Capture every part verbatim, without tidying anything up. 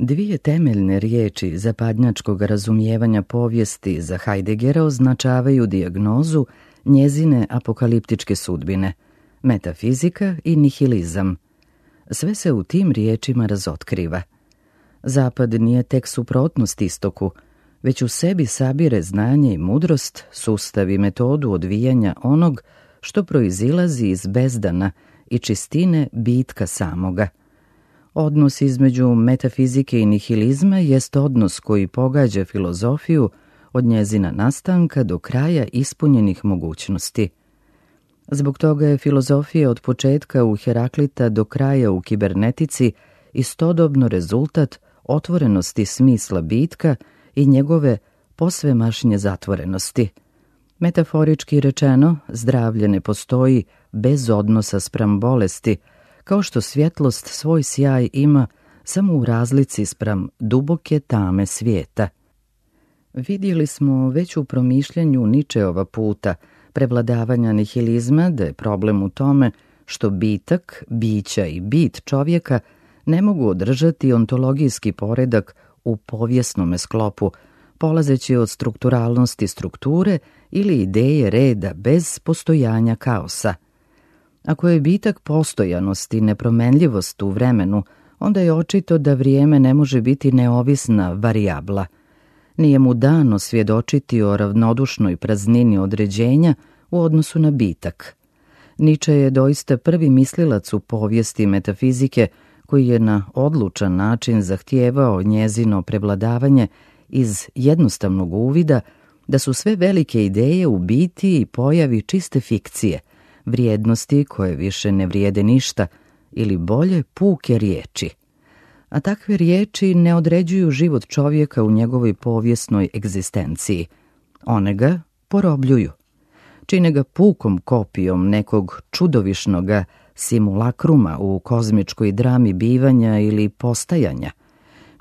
Dvije temeljne riječi zapadnjačkog razumijevanja povijesti za Heideggera označavaju dijagnozu njezine apokaliptičke sudbine, metafizika i nihilizam. Sve se u tim riječima razotkriva. Zapad nije tek suprotnost istoku, već u sebi sabire znanje i mudrost, sustav i metodu odvijanja onog što proizilazi iz bezdana i čistine bitka samoga. Odnos između metafizike i nihilizma jest odnos koji pogađa filozofiju od njezina nastanka do kraja ispunjenih mogućnosti. Zbog toga je filozofija od početka u Heraklita do kraja u kibernetici istodobno rezultat otvorenosti smisla bitka i njegove posvemašnje zatvorenosti. Metaforički rečeno, zdravlje ne postoji bez odnosa spram bolesti, kao što svjetlost svoj sjaj ima samo u razlici spram duboke tame svijeta. Vidjeli smo već u promišljanju Ničeova puta prevladavanja nihilizma da je problem u tome što bitak, bića i bit čovjeka ne mogu održati ontologijski poredak u povijesnome sklopu, polazeći od strukturalnosti strukture ili ideje reda bez postojanja kaosa. Ako je bitak postojanost i nepromenljivost u vremenu, onda je očito da vrijeme ne može biti neovisna varijabla. Nije mu dano svjedočiti o ravnodušnoj praznini određenja u odnosu na bitak. Niče je doista prvi mislilac u povijesti metafizike koji je na odlučan način zahtijevao njezino prevladavanje iz jednostavnog uvida da su sve velike ideje u biti i pojavi čiste fikcije, vrijednosti koje više ne vrijede ništa ili bolje puke riječi. A takve riječi ne određuju život čovjeka u njegovoj povijesnoj egzistenciji. One ga porobljuju. Čine ga pukom kopijom nekog čudovišnoga simulakruma u kozmičkoj drami bivanja ili postajanja.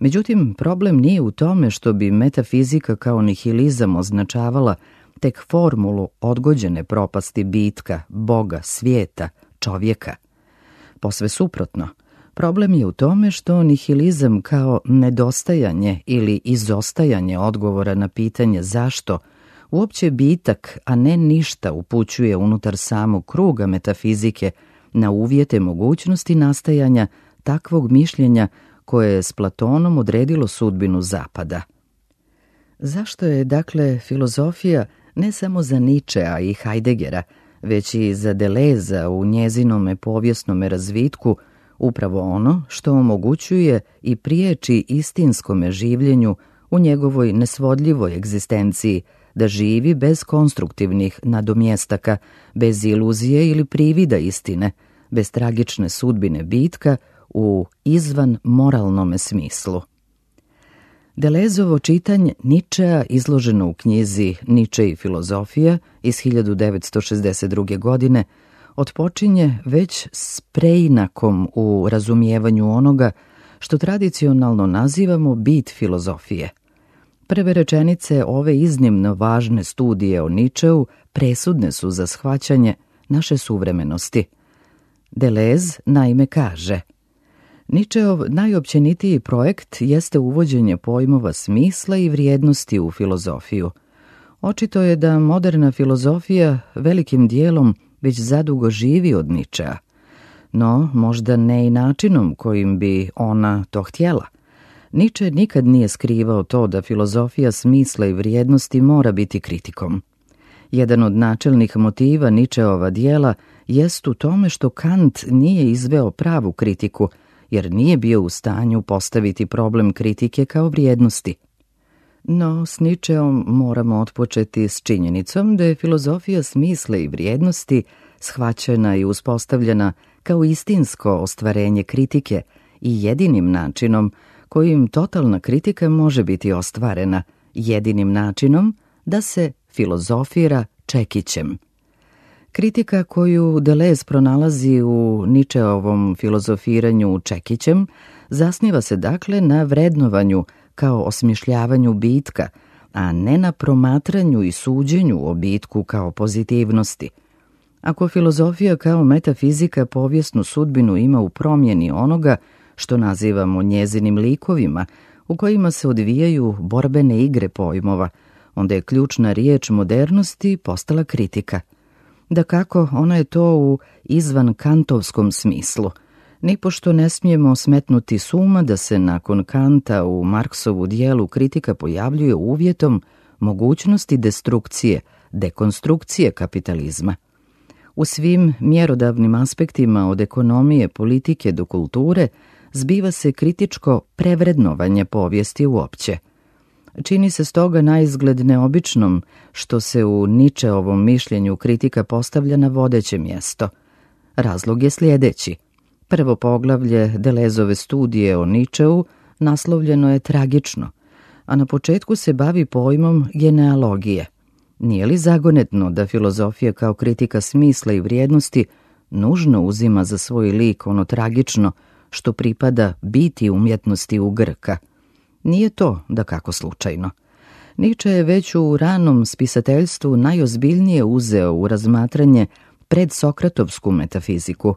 Međutim, problem nije u tome što bi metafizika kao nihilizam označavala tek formulu odgođene propasti bitka, Boga, svijeta, čovjeka. Posve suprotno, problem je u tome što nihilizam kao nedostajanje ili izostajanje odgovora na pitanje zašto uopće bitak, a ne ništa, upućuje unutar samog kruga metafizike na uvjete mogućnosti nastajanja takvog mišljenja koje je s Platonom odredilo sudbinu Zapada. Zašto je, dakle, filozofija ne samo za Ničea i Heideggera, već i za Deleuza u njezinome povijesnome razvitku upravo ono što omogućuje i priječi istinskome življenju u njegovoj nesvodljivoj egzistenciji, da živi bez konstruktivnih nadomjestaka, bez iluzije ili privida istine, bez tragične sudbine bitka u izvan moralnome smislu. Deleuzovo čitanje Ničea, izloženo u knjizi Niče i filozofija iz hiljadu devetsto šezdeset druge. godine, otpočinje već s preinakom u razumijevanju onoga što tradicionalno nazivamo bit filozofije. Prve rečenice ove iznimno važne studije o Ničeu presudne su za shvaćanje naše suvremenosti. Deleuze naime kaže: Ničeov najopćenitiji projekt jeste uvođenje pojmova smisla i vrijednosti u filozofiju. Očito je da moderna filozofija velikim dijelom već zadugo živi od Ničea, no možda ne i načinom kojim bi ona to htjela. Niče nikad nije skrivao to da filozofija smisla i vrijednosti mora biti kritikom. Jedan od načelnih motiva Ničeova dijela jest u tome što Kant nije izveo pravu kritiku, jer nije bio u stanju postaviti problem kritike kao vrijednosti. No, s Ničeom moramo otpočeti s činjenicom da je filozofija smisla i vrijednosti shvaćena i uspostavljena kao istinsko ostvarenje kritike i jedinim načinom kojim totalna kritika može biti ostvarena, jedinim načinom da se filozofira čekićem. Kritika koju Deleuze pronalazi u Ničeovom filozofiranju čekićem zasniva se dakle na vrednovanju kao osmišljavanju bitka, a ne na promatranju i suđenju o bitku kao pozitivnosti. Ako filozofija kao metafizika povijesnu sudbinu ima u promjeni onoga što nazivamo njezinim likovima, u kojima se odvijaju borbene igre pojmova, onda je ključna riječ modernosti postala kritika. Dakako, ona je to u izvan kantovskom smislu. Nipošto ne smijemo smetnuti s uma da se nakon Kanta u Marksovu dijelu kritika pojavljuje uvjetom mogućnosti destrukcije, dekonstrukcije kapitalizma. U svim mjerodavnim aspektima od ekonomije, politike do kulture zbiva se kritičko prevrednovanje povijesti uopće. Čini se stoga naizgled neobičnom što se u Nietzscheovom mišljenju kritika postavlja na vodeće mjesto. Razlog je sljedeći. Prvo poglavlje Deleuzeove studije o Nietzscheu naslovljeno je tragično, a na početku se bavi pojmom genealogije. Nije li zagonetno da filozofija kao kritika smisla i vrijednosti nužno uzima za svoj lik ono tragično što pripada biti umjetnosti u Grka? Nije to dakako slučajno. Nietzsche je već u ranom spisateljstvu najozbiljnije uzeo u razmatranje predsokratovsku metafiziku.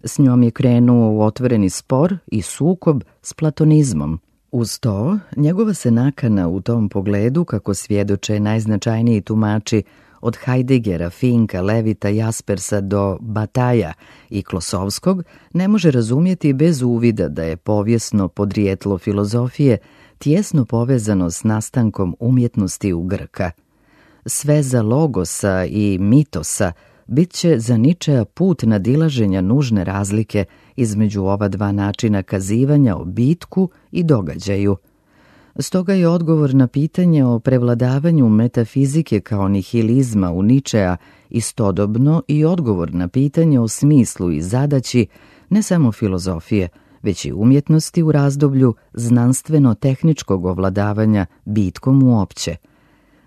S njom je krenuo u otvoreni spor i sukob s platonizmom. Uz to, njegova se nakana u tom pogledu, kako svjedoče najznačajniji tumači od Heideggera, Finka, Levita, Jaspersa do Bataja i Klosovskog, ne može razumjeti bez uvida da je povijesno podrijetlo filozofije tijesno povezano s nastankom umjetnosti u Grka. Sveza logosa i mitosa bit će za Nietzschea put nadilaženja nužne razlike između ova dva načina kazivanja o bitku i događaju. Stoga je odgovor na pitanje o prevladavanju metafizike kao nihilizma u Nietzschea istodobno i odgovor na pitanje o smislu i zadaći ne samo filozofije, već i umjetnosti u razdoblju znanstveno-tehničkog ovladavanja bitkom uopće.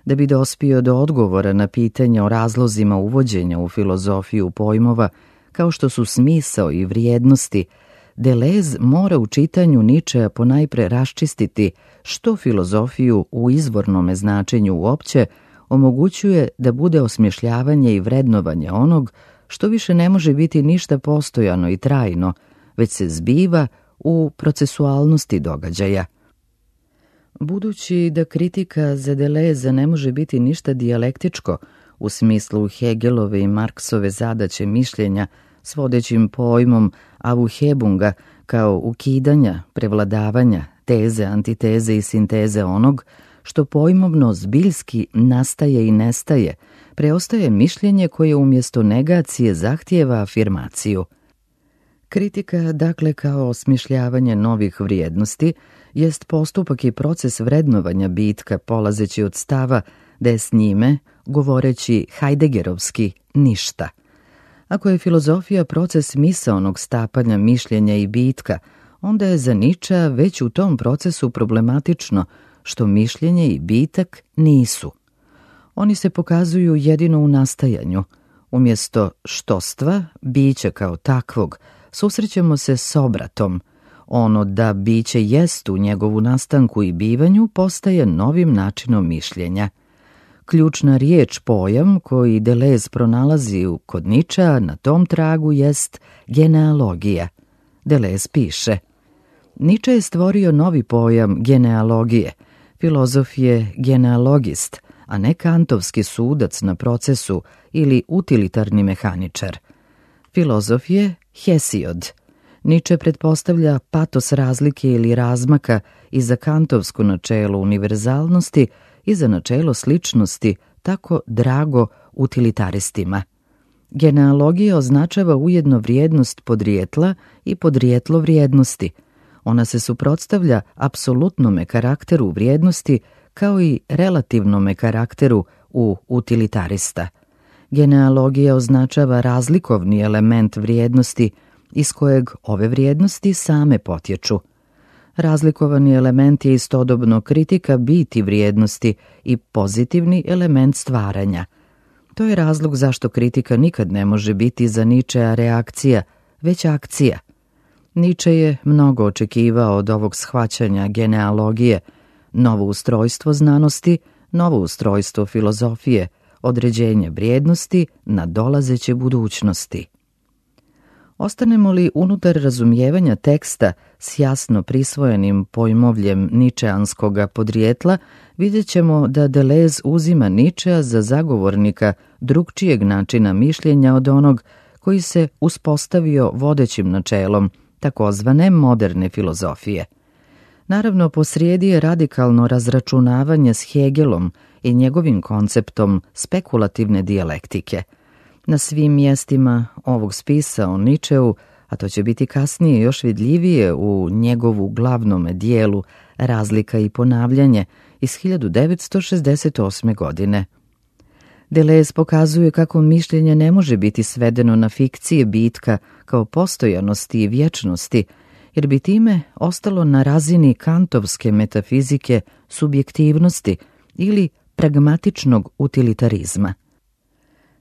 Da bi dospio do odgovora na pitanje o razlozima uvođenja u filozofiju pojmova kao što su smisao i vrijednosti, Deleuze mora u čitanju Nietzschea ponajpre raščistiti što filozofiju u izvornome značenju uopće omogućuje da bude osmješljavanje i vrednovanje onog što više ne može biti ništa postojano i trajno, već se zbiva u procesualnosti događaja. Budući da kritika za Deleuze ne može biti ništa dijalektičko u smislu Hegelove i Marksove zadaće mišljenja s vodećim pojmom Aufhebunga kao ukidanja, prevladavanja, teze, antiteze i sinteze onog što pojmovno zbiljski nastaje i nestaje, preostaje mišljenje koje umjesto negacije zahtijeva afirmaciju. Kritika, dakle, kao osmišljavanje novih vrijednosti, jest postupak i proces vrednovanja bitka polazeći od stava da je s njime, govoreći Heideggerovski, ništa. Ako je filozofija proces misaonog stapanja mišljenja i bitka, onda je za Nietzschea već u tom procesu problematično što mišljenje i bitak nisu. Oni se pokazuju jedino u nastajanju. Umjesto štostva, bića kao takvog, susrećemo se s obratom. Ono da biće jest u njegovu nastanku i bivanju postaje novim načinom mišljenja. Ključna riječ pojam koji Deleuze pronalazi kod Nietzschea na tom tragu jest genealogija. Deleuze piše: Nietzsche je stvorio novi pojam genealogije. Filozof je genealogist, a ne kantovski sudac na procesu ili utilitarni mehaničar. Filozof je Hesiod. Nietzsche pretpostavlja patos razlike ili razmaka i za kantovsko načelo univerzalnosti i za načelo sličnosti, tako drago utilitaristima. Genealogija označava ujedno vrijednost podrijetla i podrijetlo vrijednosti. Ona se suprotstavlja apsolutnome karakteru vrijednosti kao i relativnome karakteru u utilitarista. Genealogija označava razlikovni element vrijednosti iz kojeg ove vrijednosti same potječu. Razlikovani element je istodobno kritika biti vrijednosti i pozitivni element stvaranja. To je razlog zašto kritika nikad ne može biti za Nietzschea reakcija, već akcija. Nietzsche je mnogo očekivao od ovog shvaćanja genealogije, novo ustrojstvo znanosti, novo ustrojstvo filozofije, određenje vrijednosti na dolazeće budućnosti. Ostanemo li unutar razumijevanja teksta s jasno prisvojenim pojmovljem ničeanskoga podrijetla, vidjet ćemo da Deleuze uzima Ničea za zagovornika drugčijeg načina mišljenja od onog koji se uspostavio vodećim načelom takozvane moderne filozofije. Naravno, posrijedi je radikalno razračunavanje s Hegelom i njegovim konceptom spekulativne dijalektike. Na svim mjestima ovog spisa o Ničeu, a to će biti kasnije još vidljivije u njegovu glavnome dijelu Razlika i ponavljanje iz hiljadu devetsto šezdeset osme. godine. Deleuze pokazuje kako mišljenje ne može biti svedeno na fikcije bitka kao postojanosti i vječnosti, jer bi time ostalo na razini kantovske metafizike subjektivnosti ili pragmatičnog utilitarizma.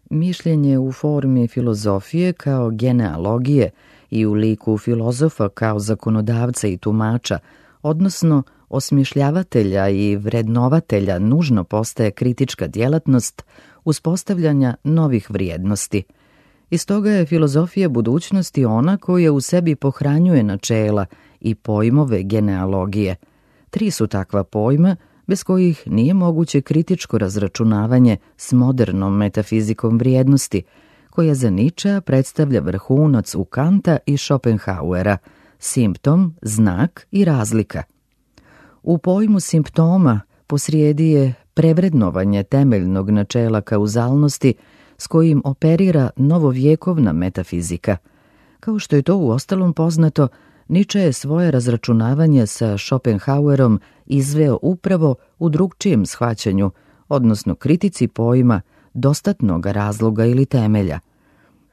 Mišljenje u formi filozofije kao genealogije i u liku filozofa kao zakonodavca i tumača, odnosno osmišljavatelja i vrednovatelja, nužno postaje kritička djelatnost uspostavljanja novih vrijednosti. Iz toga je filozofija budućnosti ona koja u sebi pohranjuje načela i pojmove genealogije. Tri su takva pojma bez kojih nije moguće kritičko razračunavanje s modernom metafizikom vrijednosti, koja za Ničea predstavlja vrhunac u Kanta i Schopenhauera, simptom, znak i razlika. U pojmu simptoma posrijedi je prevrednovanje temeljnog načela kauzalnosti s kojim operira novovjekovna metafizika. Kao što je to uostalom poznato, Niče je svoje razračunavanje sa Schopenhauerom izveo upravo u drugčijem shvaćanju, odnosno kritici pojma dostatnog razloga ili temelja.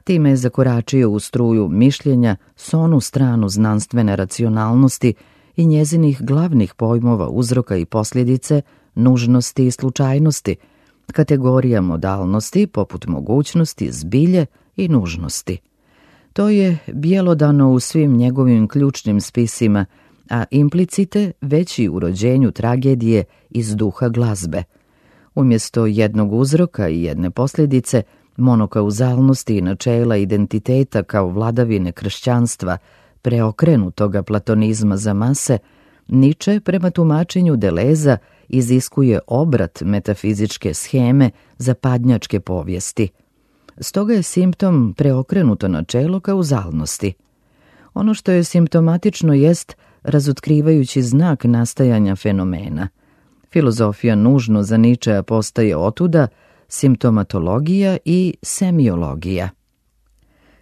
Time je zakoračio u struju mišljenja s onu stranu znanstvene racionalnosti i njezinih glavnih pojmova uzroka i posljedice, nužnosti i slučajnosti, kategorija modalnosti poput mogućnosti, zbilje i nužnosti. To je bjelodano u svim njegovim ključnim spisima, a implicite već i u rođenju tragedije iz duha glazbe. Umjesto jednog uzroka i jedne posljedice, monokauzalnosti i načela identiteta kao vladavine kršćanstva, preokrenutoga platonizma za mase, Niče prema tumačenju Deleuza iziskuje obrat metafizičke sheme zapadnjačke povijesti. Stoga je simptom preokrenuto načelo kauzalnosti. Ono što je simptomatično jest razotkrivajući znak nastajanja fenomena. Filozofija nužno za Ničea postaje otuda simptomatologija i semiologija.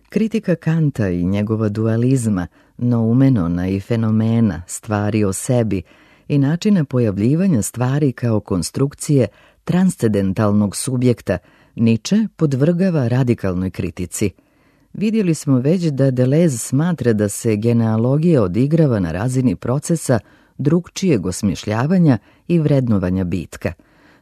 Kritika Kanta i njegova dualizma, noumenona i fenomena, stvari o sebi i načina pojavljivanja stvari kao konstrukcije transcendentalnog subjekta, Niče podvrgava radikalnoj kritici. Vidjeli smo već da Deleuze smatra da se genealogija odigrava na razini procesa drugčijeg osmišljavanja i vrednovanja bitka.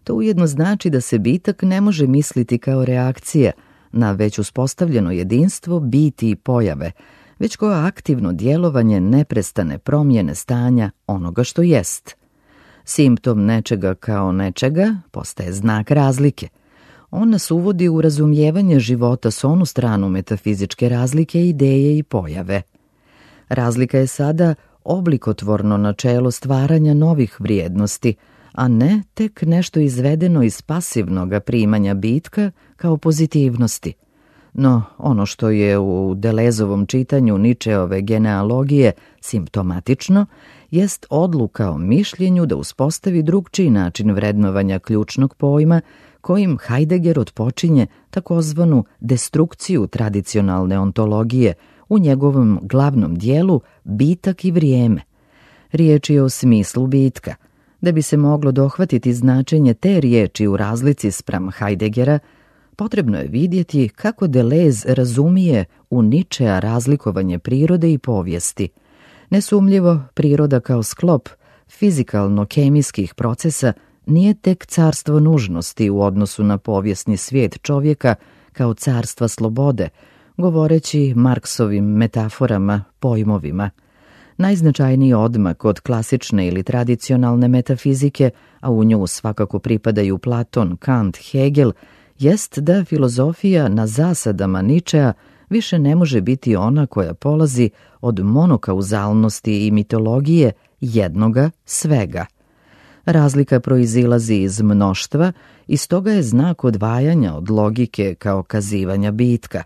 To ujedno znači da se bitak ne može misliti kao reakcija na već uspostavljeno jedinstvo biti i pojave, već kao aktivno djelovanje neprestane promjene stanja onoga što jest. Simptom nečega kao nečega postaje znak razlike. On nas uvodi u razumijevanje života s onu stranu metafizičke razlike, ideje i pojave. Razlika je sada oblikotvorno načelo stvaranja novih vrijednosti, a ne tek nešto izvedeno iz pasivnog primanja bitka kao pozitivnosti. No, ono što je u Deleuzovom čitanju Ničeove genealogije simptomatično, jest odluka o mišljenju da uspostavi drugčiji način vrednovanja ključnog pojma kojim Heidegger otpočinje takozvanu destrukciju tradicionalne ontologije u njegovom glavnom dijelu Bitak i vrijeme. Riječ je o smislu bitka. Da bi se moglo dohvatiti značenje te riječi u razlici spram Heideggera, potrebno je vidjeti kako Deleuze razumije u Ničea razlikovanje prirode i povijesti. Nesumljivo, priroda kao sklop fizikalno-kemijskih procesa nije tek carstvo nužnosti u odnosu na povijesni svijet čovjeka kao carstva slobode, govoreći Marksovim metaforama, pojmovima. Najznačajniji odmak od klasične ili tradicionalne metafizike, a u nju svakako pripadaju Platon, Kant, Hegel, jest da filozofija na zasadama Ničea više ne može biti ona koja polazi od monokauzalnosti i mitologije jednoga svega. Razlika proizilazi iz mnoštva i stoga je znak odvajanja od logike kao kazivanja bitka.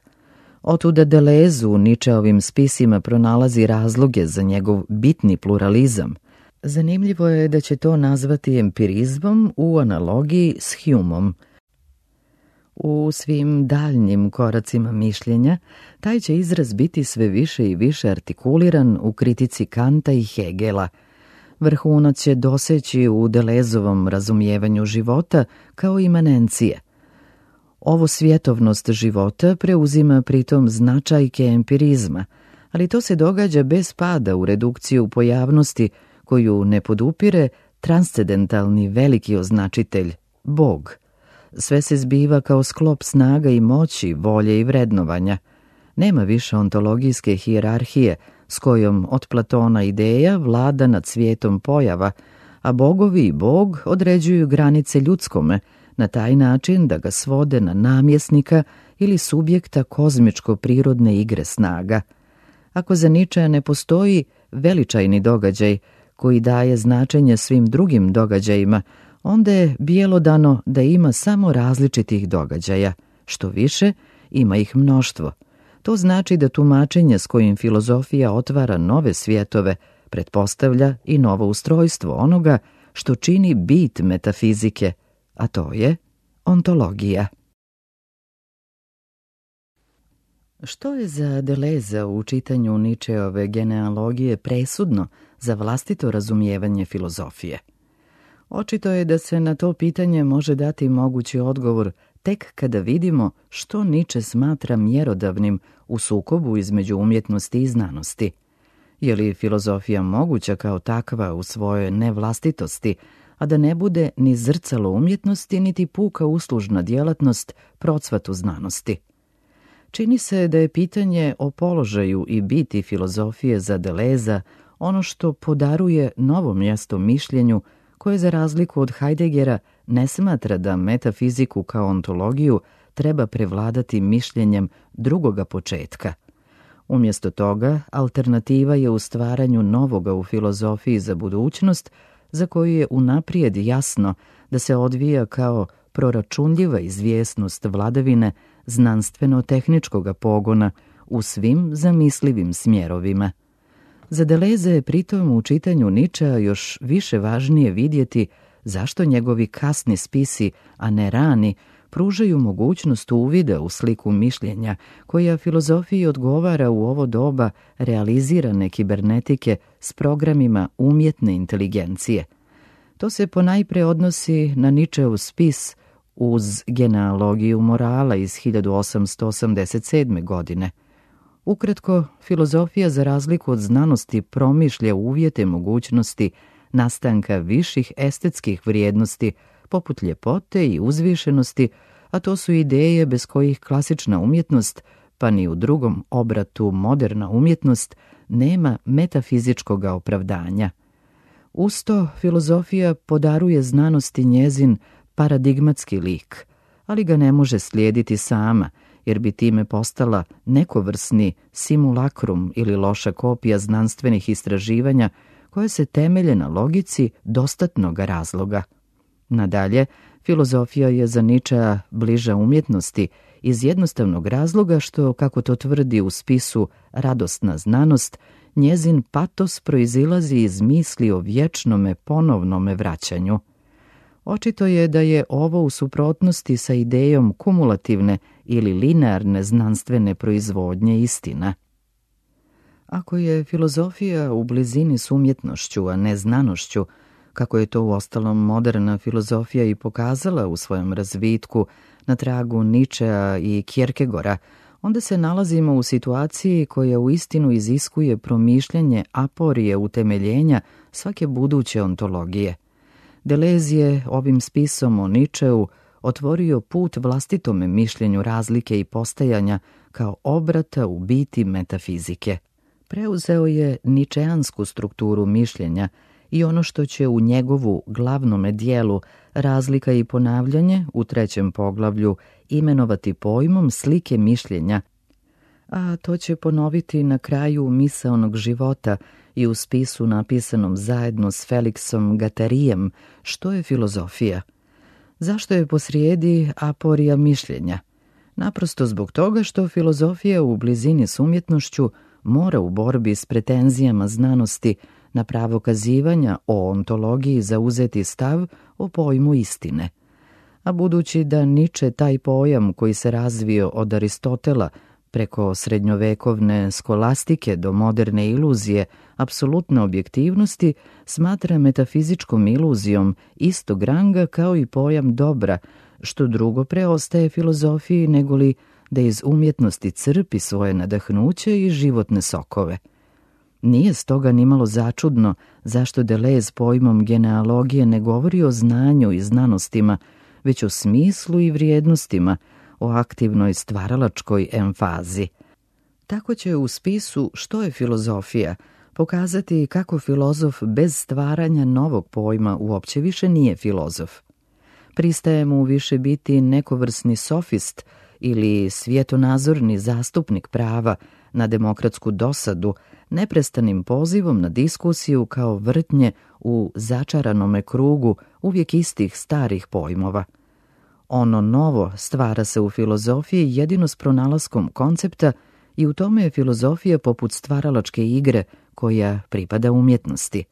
Otuda Deleuze u Nietzscheovim spisima pronalazi razloge za njegov bitni pluralizam. Zanimljivo je da će to nazvati empirizmom u analogiji s Humeom. U svim daljnjim koracima mišljenja, taj će izraz biti sve više i više artikuliran u kritici Kanta i Hegela. Vrhunac će doseći u Deleuzeovom razumijevanju života kao imanencije. Ovo svjetovnost života preuzima pritom značajke empirizma, ali to se događa bez pada u redukciju pojavnosti koju ne podupire transcendentalni veliki označitelj, Bog. Sve se zbiva kao sklop snaga i moći, volje i vrednovanja. Nema više ontologijske hijerarhije s kojom od Platona ideja vlada nad svijetom pojava, a bogovi i Bog određuju granice ljudskome na taj način da ga svode na namjesnika ili subjekta kozmičko-prirodne igre snaga. Ako za Nietzschea ne postoji veličajni događaj koji daje značenje svim drugim događajima, onda je bjelodano da ima samo različitih događaja. Što više, ima ih mnoštvo. To znači da tumačenje s kojim filozofija otvara nove svjetove pretpostavlja i novo ustrojstvo onoga što čini bit metafizike, a to je ontologija. Što je za Deleuze u čitanju Nietzscheove genealogije presudno za vlastito razumijevanje filozofije? Očito je da se na to pitanje može dati mogući odgovor tek kada vidimo što Nietzsche smatra mjerodavnim u sukobu između umjetnosti i znanosti. Je li filozofija moguća kao takva u svojoj nevlastitosti, a da ne bude ni zrcalo umjetnosti, niti puka uslužna djelatnost procvatu znanosti? Čini se da je pitanje o položaju i biti filozofije za Deleuza ono što podaruje novo mjesto mišljenju koje za razliku od Heideggera ne smatra da metafiziku kao ontologiju treba prevladati mišljenjem drugoga početka. Umjesto toga, alternativa je u stvaranju novoga u filozofiji za budućnost, za koju je unaprijed jasno da se odvija kao proračunljiva izvjesnost vladavine znanstveno-tehničkoga pogona u svim zamislivim smjerovima. Za Deleuze je pritom u čitanju Nietzschea još više važnije vidjeti zašto njegovi kasni spisi, a ne rani, pružaju mogućnost uvida u sliku mišljenja koja filozofiji odgovara u ovo doba realizirane kibernetike s programima umjetne inteligencije. To se ponajpre odnosi na Nietzscheov spis uz genealogiju morala iz hiljadu osamsto osamdeset sedme. godine. Ukratko, filozofija za razliku od znanosti promišlja uvjete mogućnosti nastanka viših estetskih vrijednosti poput ljepote i uzvišenosti, a to su ideje bez kojih klasična umjetnost, pa ni u drugom obratu moderna umjetnost, nema metafizičkog opravdanja. Usto, filozofija podaruje znanosti njezin paradigmatski lik, ali ga ne može slijediti sama, jer bi time postala nekovrsni simulakrum ili loša kopija znanstvenih istraživanja koje se temelje na logici dostatnog razloga. Nadalje, filozofija je za Nietzschea bliža umjetnosti iz jednostavnog razloga što, kako to tvrdi u spisu Radosna znanost, njezin patos proizilazi iz misli o vječnome ponovnome vraćanju. Očito je da je ovo u suprotnosti sa idejom kumulativne ili linearne znanstvene proizvodnje istina. Ako je filozofija u blizini s umjetnošću, a ne znanošću, kako je to uostalom moderna filozofija i pokazala u svojem razvitku na tragu Nietzschea i Kierkegaarda, onda se nalazimo u situaciji koja uistinu iziskuje promišljanje aporije utemeljenja svake buduće ontologije. Deleuze je ovim spisom o Nietzscheu otvorio put vlastitome mišljenju razlike i postajanja kao obrata u biti metafizike. Preuzeo je ničeansku strukturu mišljenja i ono što će u njegovu glavnome dijelu Razlika i ponavljanje u trećem poglavlju imenovati pojmom slike mišljenja, a to će ponoviti na kraju misaonog života i u spisu napisanom zajedno s Felixom Gattarijem, što je filozofija. Zašto je posrijedi aporija mišljenja? Naprosto zbog toga što filozofija u blizini s umjetnošću mora u borbi s pretenzijama znanosti na pravo kazivanja o ontologiji zauzeti stav o pojmu istine. A budući da Niče taj pojam koji se razvio od Aristotela preko srednjovekovne skolastike do moderne iluzije apsolutne objektivnosti smatra metafizičkom iluzijom istog ranga kao i pojam dobra, što drugo preostaje filozofiji negoli da iz umjetnosti crpi svoje nadahnuće i životne sokove. Nije stoga nimalo začudno zašto Deleuze pojmom genealogije ne govori o znanju i znanostima, već o smislu i vrijednostima, o aktivnoj stvaralačkoj emfazi. Tako će u spisu Što je filozofija pokazati kako filozof bez stvaranja novog pojma uopće više nije filozof. Pristaje mu više biti nekovrsni sofist ili svjetonazorni zastupnik prava na demokratsku dosadu, neprestanim pozivom na diskusiju kao vrtnje u začaranome krugu uvijek istih starih pojmova. Ono novo stvara se u filozofiji jedino s pronalaskom koncepta i u tome je filozofija poput stvaralačke igre koja pripada umjetnosti.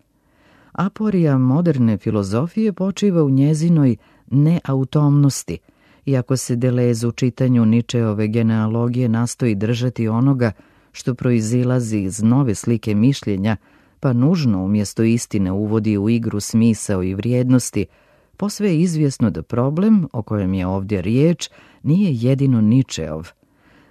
Aporija moderne filozofije počiva u njezinoj neautomnosti, iako se Deleuze u čitanju Ničeove genealogije nastoji držati onoga što proizilazi iz nove slike mišljenja, pa nužno umjesto istine uvodi u igru smisao i vrijednosti, posve je izvjesno da problem, o kojem je ovdje riječ, nije jedino Ničeov.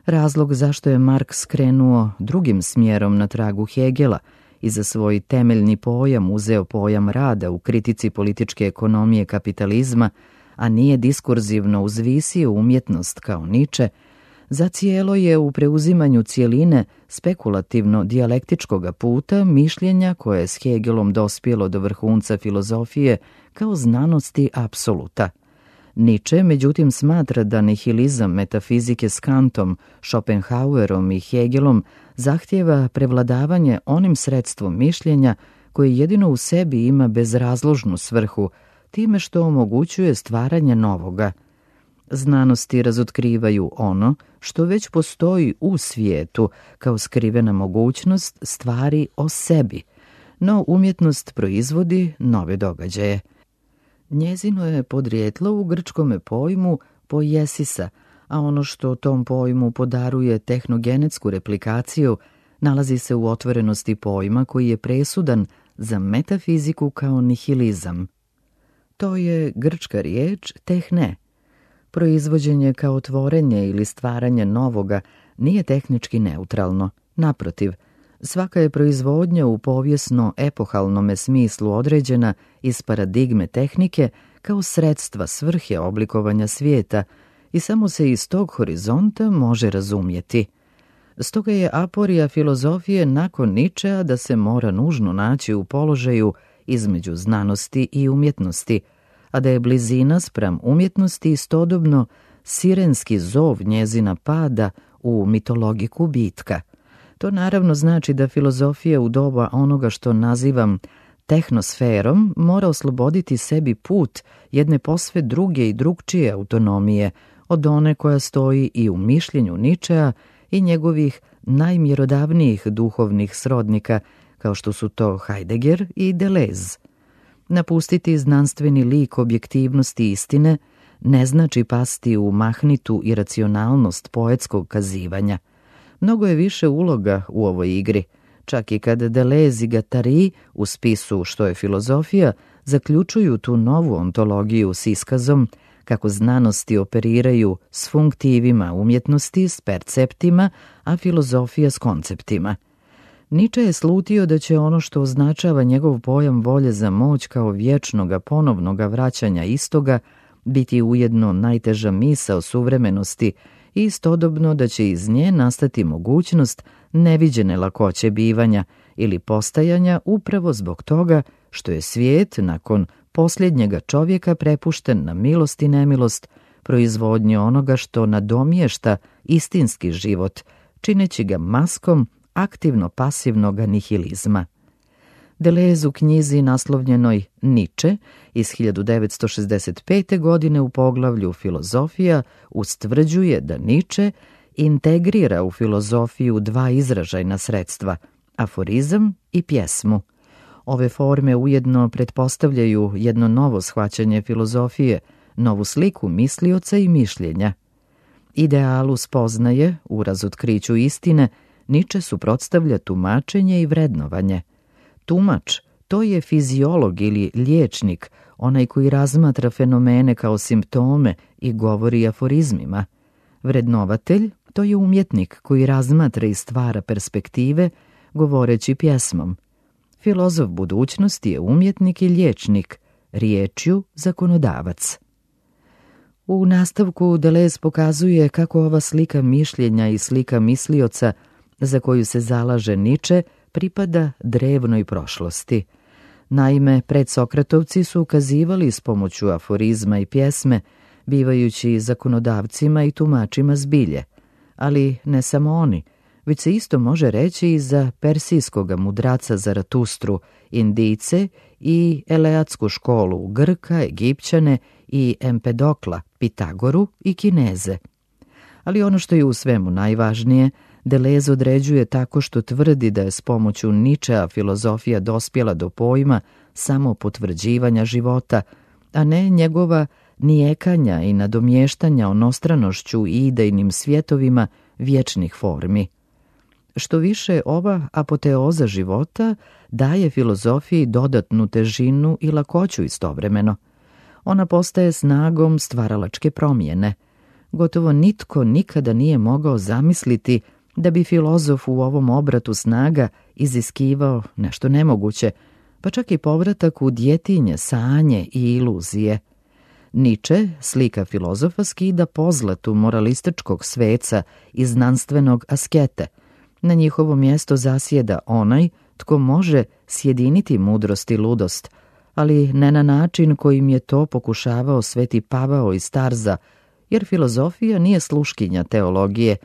Razlog zašto je Marks krenuo drugim smjerom na tragu Hegela i za svoj temeljni pojam uzeo pojam rada u kritici političke ekonomije kapitalizma, a nije diskurzivno uzvisio umjetnost kao Niče, zacijelo je u preuzimanju cijeline spekulativno-dijalektičkoga puta mišljenja koje je s Hegelom dospjelo do vrhunca filozofije kao znanosti apsoluta. Niče, međutim, smatra da nihilizam metafizike s Kantom, Schopenhauerom i Hegelom zahtijeva prevladavanje onim sredstvom mišljenja koje jedino u sebi ima bezrazložnu svrhu, time što omogućuje stvaranje novoga. Znanosti razotkrivaju ono što već postoji u svijetu kao skrivena mogućnost stvari o sebi, no umjetnost proizvodi nove događaje. Njezino je podrijetlo u grčkome pojmu poiesisa, a ono što tom pojmu podaruje tehnogenetsku replikaciju nalazi se u otvorenosti pojma koji je presudan za metafiziku kao nihilizam. To je grčka riječ tehne. Proizvođenje kao tvorenje ili stvaranje novoga nije tehnički neutralno. Naprotiv, svaka je proizvodnja u povijesno-epohalnome smislu određena iz paradigme tehnike kao sredstva svrhe oblikovanja svijeta i samo se iz tog horizonta može razumjeti. Stoga je aporija filozofije nakon Ničea da se mora nužno naći u položaju između znanosti i umjetnosti, a da je blizina spram umjetnosti istodobno sirenski zov njezina pada u mitologiku bitka. To naravno znači da filozofija u doba onoga što nazivam tehnosferom mora osloboditi sebi put jedne posve druge i drugčije autonomije od one koja stoji i u mišljenju Ničea i njegovih najmjerodavnijih duhovnih srodnika, kao što su to Heidegger i Deleuze. Napustiti znanstveni lik objektivnosti istine ne znači pasti u mahnitu iracionalnost poetskog kazivanja. Mnogo je više uloga u ovoj igri, čak i kada Deleuze i Guattari u spisu Što je filozofija zaključuju tu novu ontologiju s iskazom kako znanosti operiraju s funktivima umjetnosti, s perceptima, a filozofija s konceptima. Niče je slutio da će ono što označava njegov pojam volje za moć kao vječnoga ponovnoga vraćanja istoga biti ujedno najteža misao suvremenosti i istodobno da će iz nje nastati mogućnost neviđene lakoće bivanja ili postajanja upravo zbog toga što je svijet nakon posljednjega čovjeka prepušten na milost i nemilost proizvodnje onoga što nadomješta istinski život, čineći ga maskom aktivno-pasivnog nihilizma. Deleuze u knjizi naslovljenoj Niče iz hiljadu devetsto šezdeset pete. godine u poglavlju Filozofija ustvrđuje da Niče integrira u filozofiju dva izražajna sredstva, aforizam i pjesmu. Ove forme ujedno pretpostavljaju jedno novo shvaćanje filozofije, novu sliku mislioca i mišljenja. Idealu spoznaje, u razotkriću istine, Niče suprotstavlja tumačenje i vrednovanje. Tumač, to je fiziolog ili liječnik, onaj koji razmatra fenomene kao simptome i govori aforizmima. Vrednovatelj, to je umjetnik koji razmatra i stvara perspektive, govoreći pjesmom. Filozof budućnosti je umjetnik i liječnik, riječju zakonodavac. U nastavku Deleuze pokazuje kako ova slika mišljenja i slika mislioca, za koju se zalaže Niče, pripada drevnoj prošlosti. Naime, predsokratovci su ukazivali s pomoću aforizma i pjesme, bivajući zakonodavcima i tumačima zbilje. Ali ne samo oni, već se isto može reći i za persijskog mudraca Zaratustru, Indijce i Eleatsku školu, Grka, Egipćane i Empedokla, Pitagoru i Kineze. Ali ono što je u svemu najvažnije, Deleuze određuje tako što tvrdi da je s pomoću Ničea filozofija dospjela do pojma samo potvrđivanja života, a ne njegova nijekanja i nadomještanja onostranošću i idejnim svjetovima vječnih formi. Što više, ova apoteoza života daje filozofiji dodatnu težinu i lakoću istovremeno. Ona postaje snagom stvaralačke promjene. Gotovo nitko nikada nije mogao zamisliti da bi filozof u ovom obratu snaga iziskivao nešto nemoguće, pa čak i povratak u djetinje, sanje i iluzije. Niče, slika filozofa, skida pozlatu moralističkog sveca i znanstvenog askete. Na njihovo mjesto zasjeda onaj tko može sjediniti mudrost i ludost, ali ne na način kojim je to pokušavao Sveti Pavao iz Tarza, jer filozofija nije sluškinja teologije,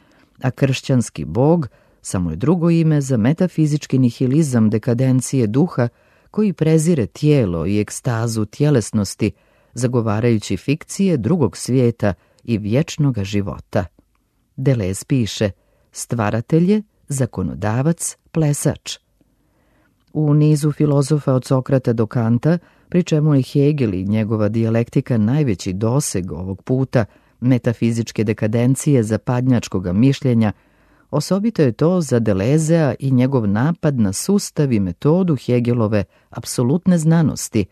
a kršćanski bog samo je drugo ime za metafizički nihilizam dekadencije duha koji prezire tijelo i ekstazu tjelesnosti, zagovarajući fikcije drugog svijeta i vječnoga života. Deleuze piše: stvaratelj je zakonodavac, plesač. U nizu filozofa od Sokrata do Kanta, pri čemu je Hegel i njegova dijalektika najveći doseg ovog puta metafizičke dekadencije zapadnjačkog mišljenja, osobito je to za Deleuzea i njegov napad na sustav i metodu Hegelove apsolutne znanosti.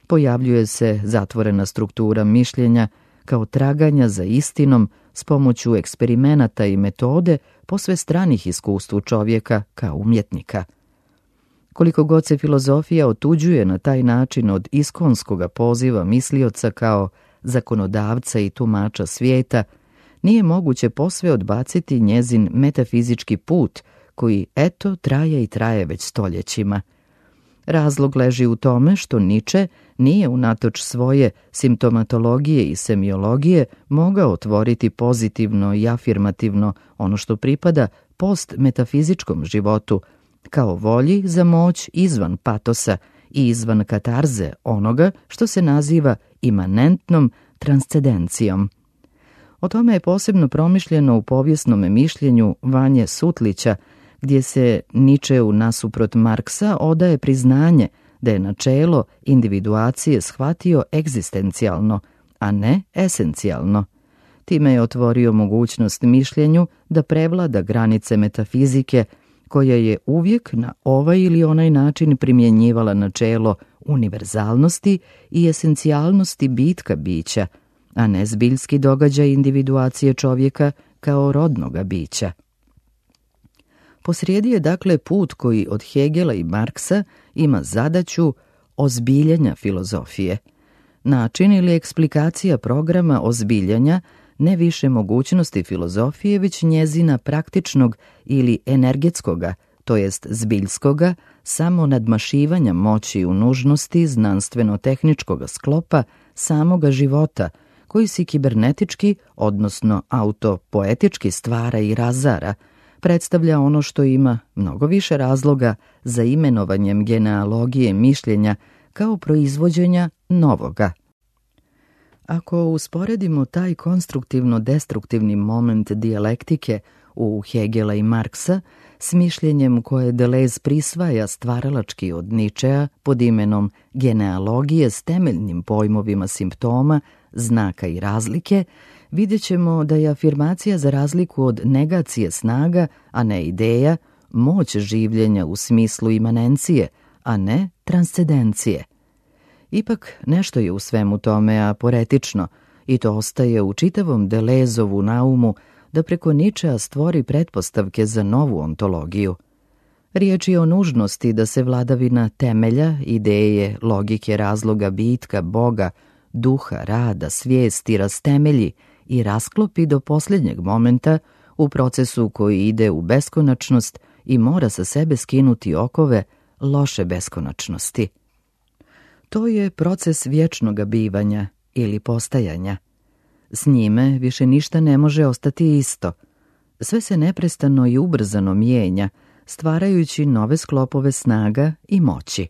Pojavljuje se zatvorena struktura mišljenja kao traganja za istinom s pomoću eksperimenata i metode posve stranih iskustvu čovjeka kao umjetnika. Koliko god se filozofija otuđuje na taj način od iskonskoga poziva mislioca kao zakonodavca i tumača svijeta, nije moguće posve odbaciti njezin metafizički put koji, eto, traje i traje već stoljećima. Razlog leži u tome što Niče nije unatoč svoje simptomatologije i semiologije mogao otvoriti pozitivno i afirmativno ono što pripada postmetafizičkom životu, kao volji za moć izvan patosa i izvan katarze onoga što se naziva imanentnom transcendencijom. O tome je posebno promišljeno u povijesnom mišljenju Vanje Sutlića, gdje se Ničeu nasuprot Marksa odaje priznanje da je načelo individuacije shvatio egzistencijalno, a ne esencijalno. Time je otvorio mogućnost mišljenju da prevlada granice metafizike, koja je uvijek na ovaj ili onaj način primjenjivala načelo univerzalnosti i esencijalnosti bitka bića, a ne zbiljski događaj individuacije čovjeka kao rodnoga bića. Posrijedi je dakle put koji od Hegela i Marksa ima zadaću ozbiljenja filozofije. Način ili eksplikacija programa ozbiljanja ne više mogućnosti filozofije, već njezina praktičnog ili energetskoga, to jest zbiljskoga, samo nadmašivanja moći u nužnosti znanstveno-tehničkog sklopa samoga života, koji si kibernetički, odnosno autopoetički stvara i razara, predstavlja ono što ima mnogo više razloga za imenovanjem genealogije mišljenja kao proizvođenja novoga. Ako usporedimo taj konstruktivno-destruktivni moment dijalektike u Hegela i Marksa s mišljenjem koje Deleuze prisvaja stvaralački od Ničea pod imenom genealogije s temeljnim pojmovima simptoma, znaka i razlike, vidjet ćemo da je afirmacija za razliku od negacije snaga, a ne ideja, moć življenja u smislu imanencije, a ne transcendencije. Ipak nešto je u svemu tome aporetično i to ostaje u čitavom Deleuzovu naumu da preko Ničea stvori pretpostavke za novu ontologiju. Riječ je o nužnosti da se vladavina temelja, ideje, logike, razloga, bitka, Boga, duha, rada, svijesti rastemelji i rasklopi do posljednjeg momenta u procesu koji ide u beskonačnost i mora sa sebe skinuti okove loše beskonačnosti. To je proces vječnoga bivanja ili postajanja. S njime više ništa ne može ostati isto. Sve se neprestano i ubrzano mijenja, stvarajući nove sklopove snaga i moći.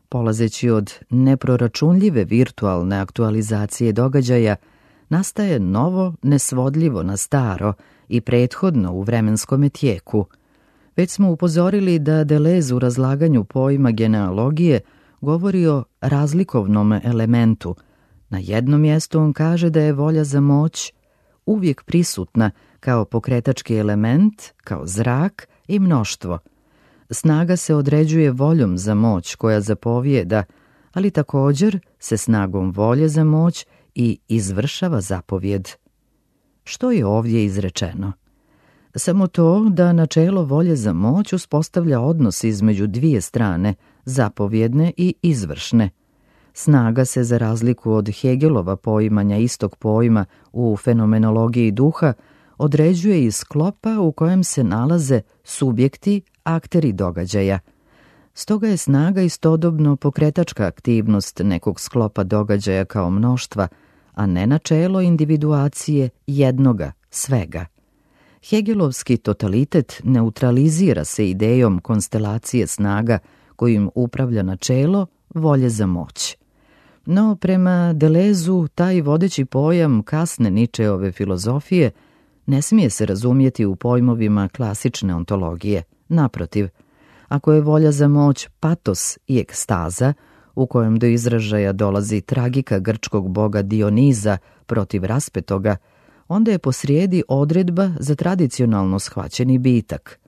Polazeći od neproračunljive virtualne aktualizacije događaja, nastaje novo nesvodljivo na staro i prethodno u vremenskome tijeku. Već smo upozorili da Deleuze u razlaganju pojma genealogije govori o razlikovnom elementu. Na jednom mjestu on kaže da je volja za moć uvijek prisutna kao pokretački element, kao zrak i mnoštvo. Snaga se određuje voljom za moć koja zapovijeda, ali također se snagom volje za moć i izvršava zapovjed. Što je ovdje izrečeno? Samo to da načelo volje za moć uspostavlja odnos između dvije strane, zapovjedne i izvršne. Snaga se, za razliku od Hegelova poimanja istog pojma u fenomenologiji duha, određuje iz sklopa u kojem se nalaze subjekti, akteri događaja. Stoga je snaga istodobno pokretačka aktivnost nekog sklopa događaja kao mnoštva, a ne načelo individuacije jednoga, svega. Hegelovski totalitet neutralizira se idejom konstelacije snaga kojim upravlja načelo volje za moć. No, prema Deleuzu, taj vodeći pojam kasne Ničeove filozofije ne smije se razumjeti u pojmovima klasične ontologije. Naprotiv, ako je volja za moć patos i ekstaza, u kojem do izražaja dolazi tragika grčkog boga Dioniza protiv raspetoga, onda je posrijedi odredba za tradicionalno shvaćeni bitak.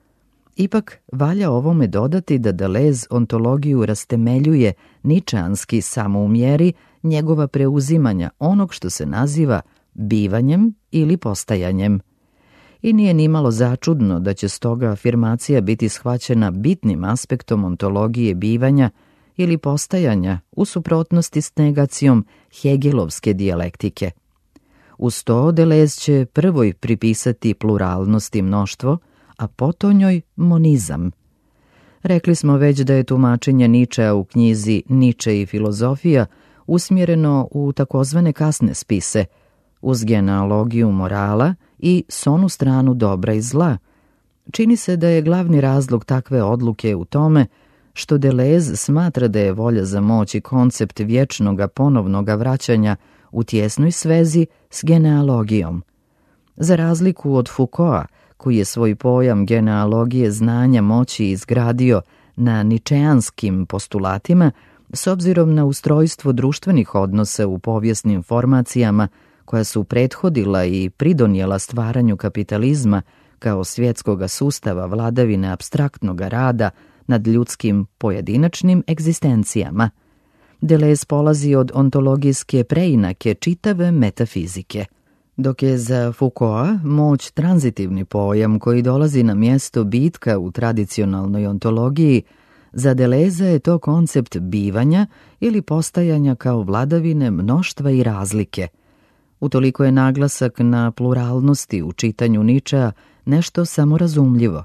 Ipak, valja ovome dodati da Deleuze ontologiju rastemeljuje ničeanski samo u mjeri njegova preuzimanja onog što se naziva bivanjem ili postajanjem. I nije nimalo začudno da će stoga afirmacija biti shvaćena bitnim aspektom ontologije bivanja ili postajanja u suprotnosti s negacijom hegelovske dijalektike. Uz to Deleuze će prvoj pripisati pluralnost i mnoštvo, a potonjoj monizam. Rekli smo već da je tumačenje Ničea u knjizi Niče i filozofija usmjereno u takozvane kasne spise, uz genealogiju morala i s onu stranu dobra i zla. Čini se da je glavni razlog takve odluke u tome što Deleuze smatra da je volja za moć i koncept vječnoga ponovnoga vraćanja u tjesnoj svezi s genealogijom. Za razliku od Foucaulta, koji je svoj pojam genealogije znanja moći izgradio na ničeanskim postulatima, s obzirom na ustrojstvo društvenih odnosa u povijesnim formacijama koja su prethodila i pridonijela stvaranju kapitalizma kao svjetskoga sustava vladavine apstraktnoga rada nad ljudskim pojedinačnim egzistencijama. Deleuze polazi od ontologijske preinake čitave metafizike. Dok je za Foucaulta moć tranzitivni pojam koji dolazi na mjesto bitka u tradicionalnoj ontologiji, za Deleuze je to koncept bivanja ili postajanja kao vladavine mnoštva i razlike. Utoliko je naglasak na pluralnosti u čitanju Ničea nešto samorazumljivo.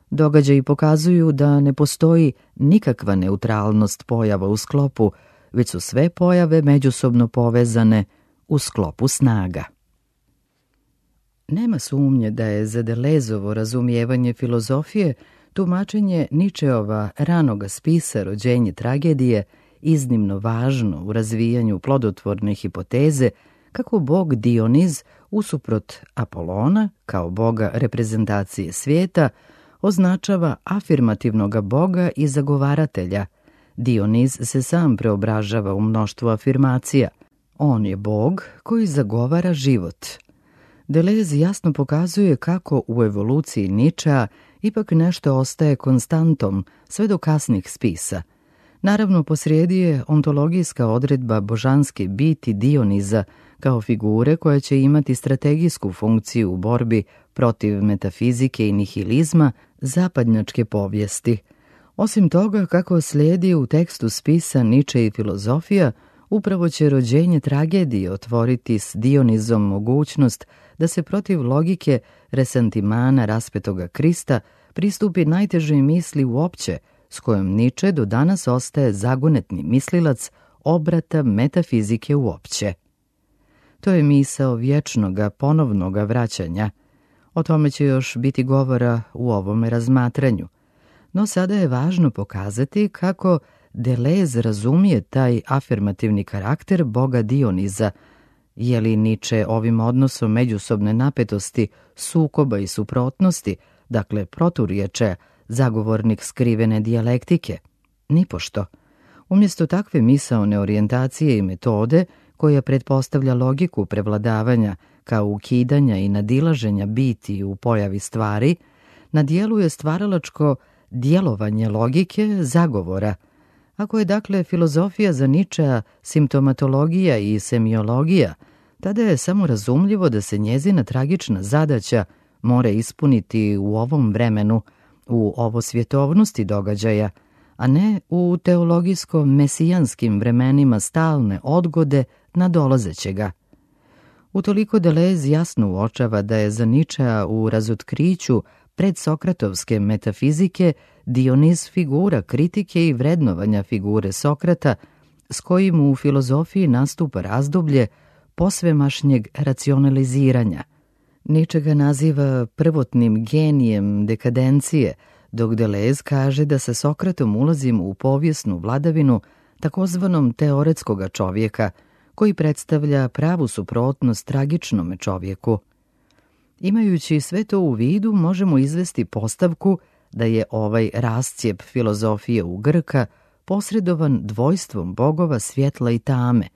Događaji pokazuju da ne postoji nikakva neutralnost pojava u sklopu, već su sve pojave međusobno povezane u sklopu snaga. Nema sumnje da je za Delezovo razumijevanje filozofije tumačenje Ničeova ranoga spisa Rođenje tragedije iznimno važno u razvijanju plodotvorne hipoteze kako bog Dioniz, usuprot Apolona, kao boga reprezentacije svijeta, označava afirmativnoga boga i zagovaratelja. Dioniz se sam preobražava u mnoštvo afirmacija. On je bog koji zagovara život. Deleuze jasno pokazuje kako u evoluciji Ničea ipak nešto ostaje konstantom sve do kasnih spisa. Naravno, posrijedi je ontologijska odredba božanske biti Dioniza kao figure koja će imati strategijsku funkciju u borbi protiv metafizike i nihilizma zapadnjačke povijesti. Osim toga, kako slijedi u tekstu spisa Niče i filozofija, upravo će Rođenje tragedije otvoriti s Dionizom mogućnost da se protiv logike resentimana raspetoga Krista pristupi najtežoj misli uopće, s kojom Niče do danas ostaje zagonetni mislilac obrata metafizike uopće. To je misao vječnoga, ponovnoga vraćanja. O tome će još biti govora u ovome razmatranju. No sada je važno pokazati kako Deleuze razumije taj afirmativni karakter boga Dioniza. Je li Niče ovim odnosom međusobne napetosti, sukoba i suprotnosti, dakle proturječja, zagovornik skrivene dijalektike? Nipošto. Umjesto takve misaone orijentacije i metode, koja pretpostavlja logiku prevladavanja kao ukidanja i nadilaženja biti u pojavi stvari, na dijelu je stvaralačko djelovanje logike zagovora. Ako je dakle filozofija za Ničea simptomatologija i semiologija, tada je samo razumljivo da se njezina tragična zadaća mora ispuniti u ovom vremenu, u ovosvjetovnosti događaja, a ne u teologijsko-mesijanskim vremenima stalne odgode nadolazećega. Utoliko Deleuze jasno uočava da je za Ničea u razotkriću predsokratovske metafizike Dioniz figura kritike i vrednovanja figure Sokrata, s kojim u filozofiji nastupa razdoblje posvemašnjeg racionaliziranja. Niče ga naziva prvotnim genijem dekadencije, dok Deleuze kaže da sa Sokratom ulazimo u povijesnu vladavinu takozvanom teoretskoga čovjeka, koji predstavlja pravu suprotnost tragičnome čovjeku. Imajući sve to u vidu, možemo izvesti postavku da je ovaj rascijep filozofije u Grka posredovan dvojstvom bogova svjetla i tame,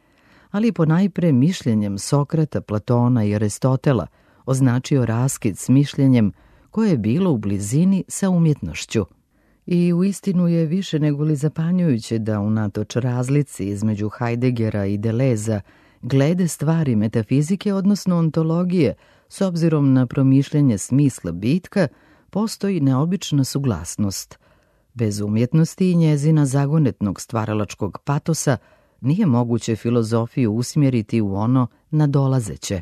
ali ponajpre mišljenjem Sokrata, Platona i Aristotela označio raskid s mišljenjem koje je bilo u blizini sa umjetnošću. I uistinu je više nego li zapanjujuće da unatoč razlici između Heideggera i Deleuza glede stvari metafizike, odnosno ontologije, s obzirom na promišljanje smisla bitka, postoji neobična suglasnost. Bez umjetnosti i njezina zagonetnog stvaralačkog patosa nije moguće filozofiju usmjeriti u ono nadolazeće.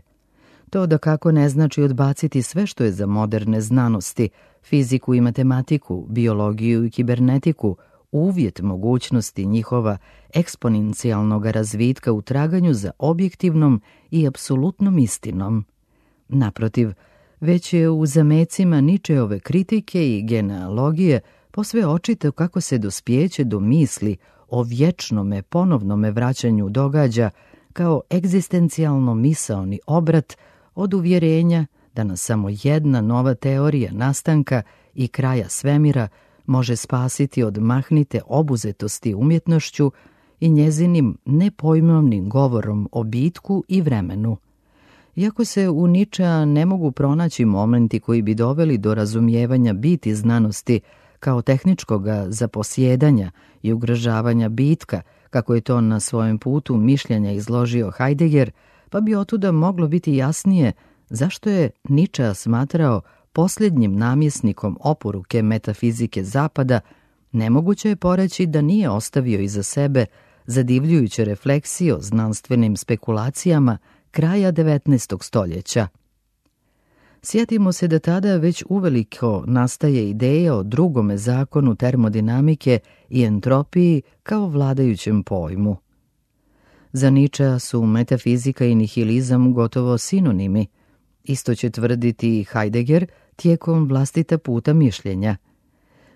To da kako ne znači odbaciti sve što je za moderne znanosti, fiziku i matematiku, biologiju i kibernetiku, uvjet mogućnosti njihova eksponencijalnog razvitka u traganju za objektivnom i apsolutnom istinom. Naprotiv, već je u zamecima Ničeove kritike i genealogije posve očito kako se dospijeće do misli o vječnome ponovnome vraćanju događa kao egzistencijalno misaoni obrat od uvjerenja da nas samo jedna nova teorija nastanka i kraja svemira može spasiti od mahnite obuzetosti umjetnošću i njezinim nepojmovnim govorom o bitku i vremenu. Iako se u Ničea ne mogu pronaći momenti koji bi doveli do razumijevanja biti znanosti kao tehničkoga zaposjedanja i ugrožavanja bitka, kako je to na svojem putu mišljenja izložio Heidegger, pa bi otuda moglo biti jasnije zašto je Ničea smatrao posljednjim namjesnikom oporuke metafizike Zapada. Nemoguće je poreći da nije ostavio iza sebe zadivljujuće refleksije o znanstvenim spekulacijama kraja devetnaestog stoljeća. Sjetimo se da tada već uveliko nastaje ideja o drugome zakonu termodinamike i entropiji kao vladajućem pojmu. Za Ničea su metafizika i nihilizam gotovo sinonimi. Isto će tvrditi i Heidegger tijekom vlastita puta mišljenja.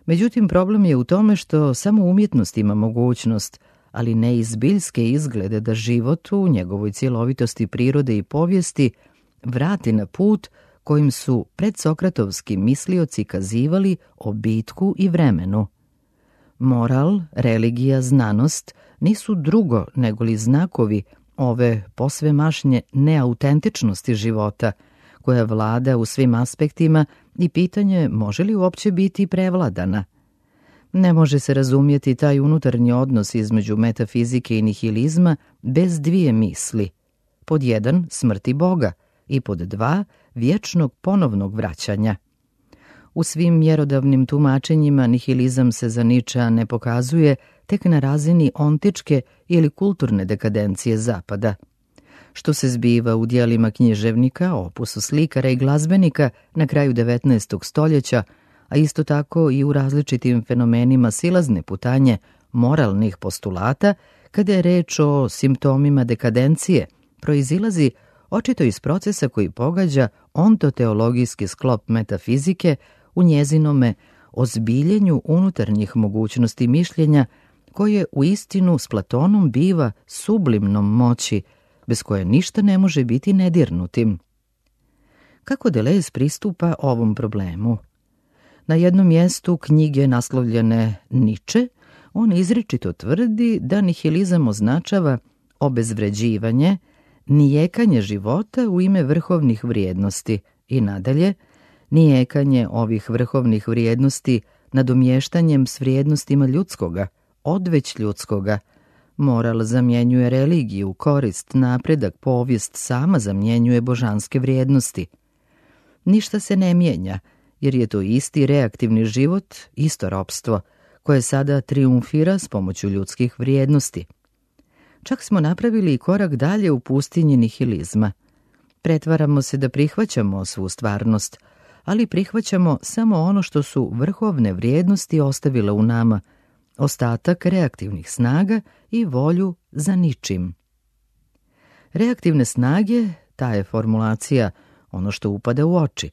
Međutim, problem je u tome što samo umjetnost ima mogućnost, ali ne i zbiljske izglede da život u njegovoj cjelovitosti prirode i povijesti vrati na put kojim su predsokratovski mislioci kazivali o bitku i vremenu. Moral, religija, znanost nisu drugo nego li znakovi ove posvemašnje neautentičnosti života, koja vlada u svim aspektima i pitanje može li uopće biti prevladana. Ne može se razumjeti taj unutarnji odnos između metafizike i nihilizma bez dvije misli. Pod jedan, smrti Boga i pod dva, vječnog ponovnog vraćanja. U svim mjerodavnim tumačenjima nihilizam se za Nietzschea ne pokazuje tek na razini ontičke ili kulturne dekadencije Zapada. Što se zbiva u dijelima književnika, opusu slikara i glazbenika na kraju devetnaestog stoljeća, a isto tako i u različitim fenomenima silazne putanje moralnih postulata, kada je reč o simptomima dekadencije, proizilazi očito iz procesa koji pogađa ontoteologijski sklop metafizike u njezinome ozbiljenju unutarnjih mogućnosti mišljenja, koje u istinu s Platonom biva sublimnom moći, bez koje ništa ne može biti nedirnutim. Kako Deleuze pristupa ovom problemu? Na jednom mjestu knjige naslovljene Nietzsche, on izričito tvrdi da nihilizam označava obezvređivanje, nijekanje života u ime vrhovnih vrijednosti i nadalje, nijekanje ovih vrhovnih vrijednosti nadomještanjem s vrijednostima ljudskoga, odveć ljudskoga. Moral zamjenjuje religiju, korist, napredak, povijest sama zamjenjuje božanske vrijednosti. Ništa se ne mijenja, jer je to isti reaktivni život, isto ropstvo, koje sada triumfira s pomoću ljudskih vrijednosti. Čak smo napravili i korak dalje u pustinji nihilizma. Pretvaramo se da prihvaćamo svu stvarnost, ali prihvaćamo samo ono što su vrhovne vrijednosti ostavile u nama, ostatak reaktivnih snaga i volju za ničim. Reaktivne snage, ta je formulacija ono što upada u oči.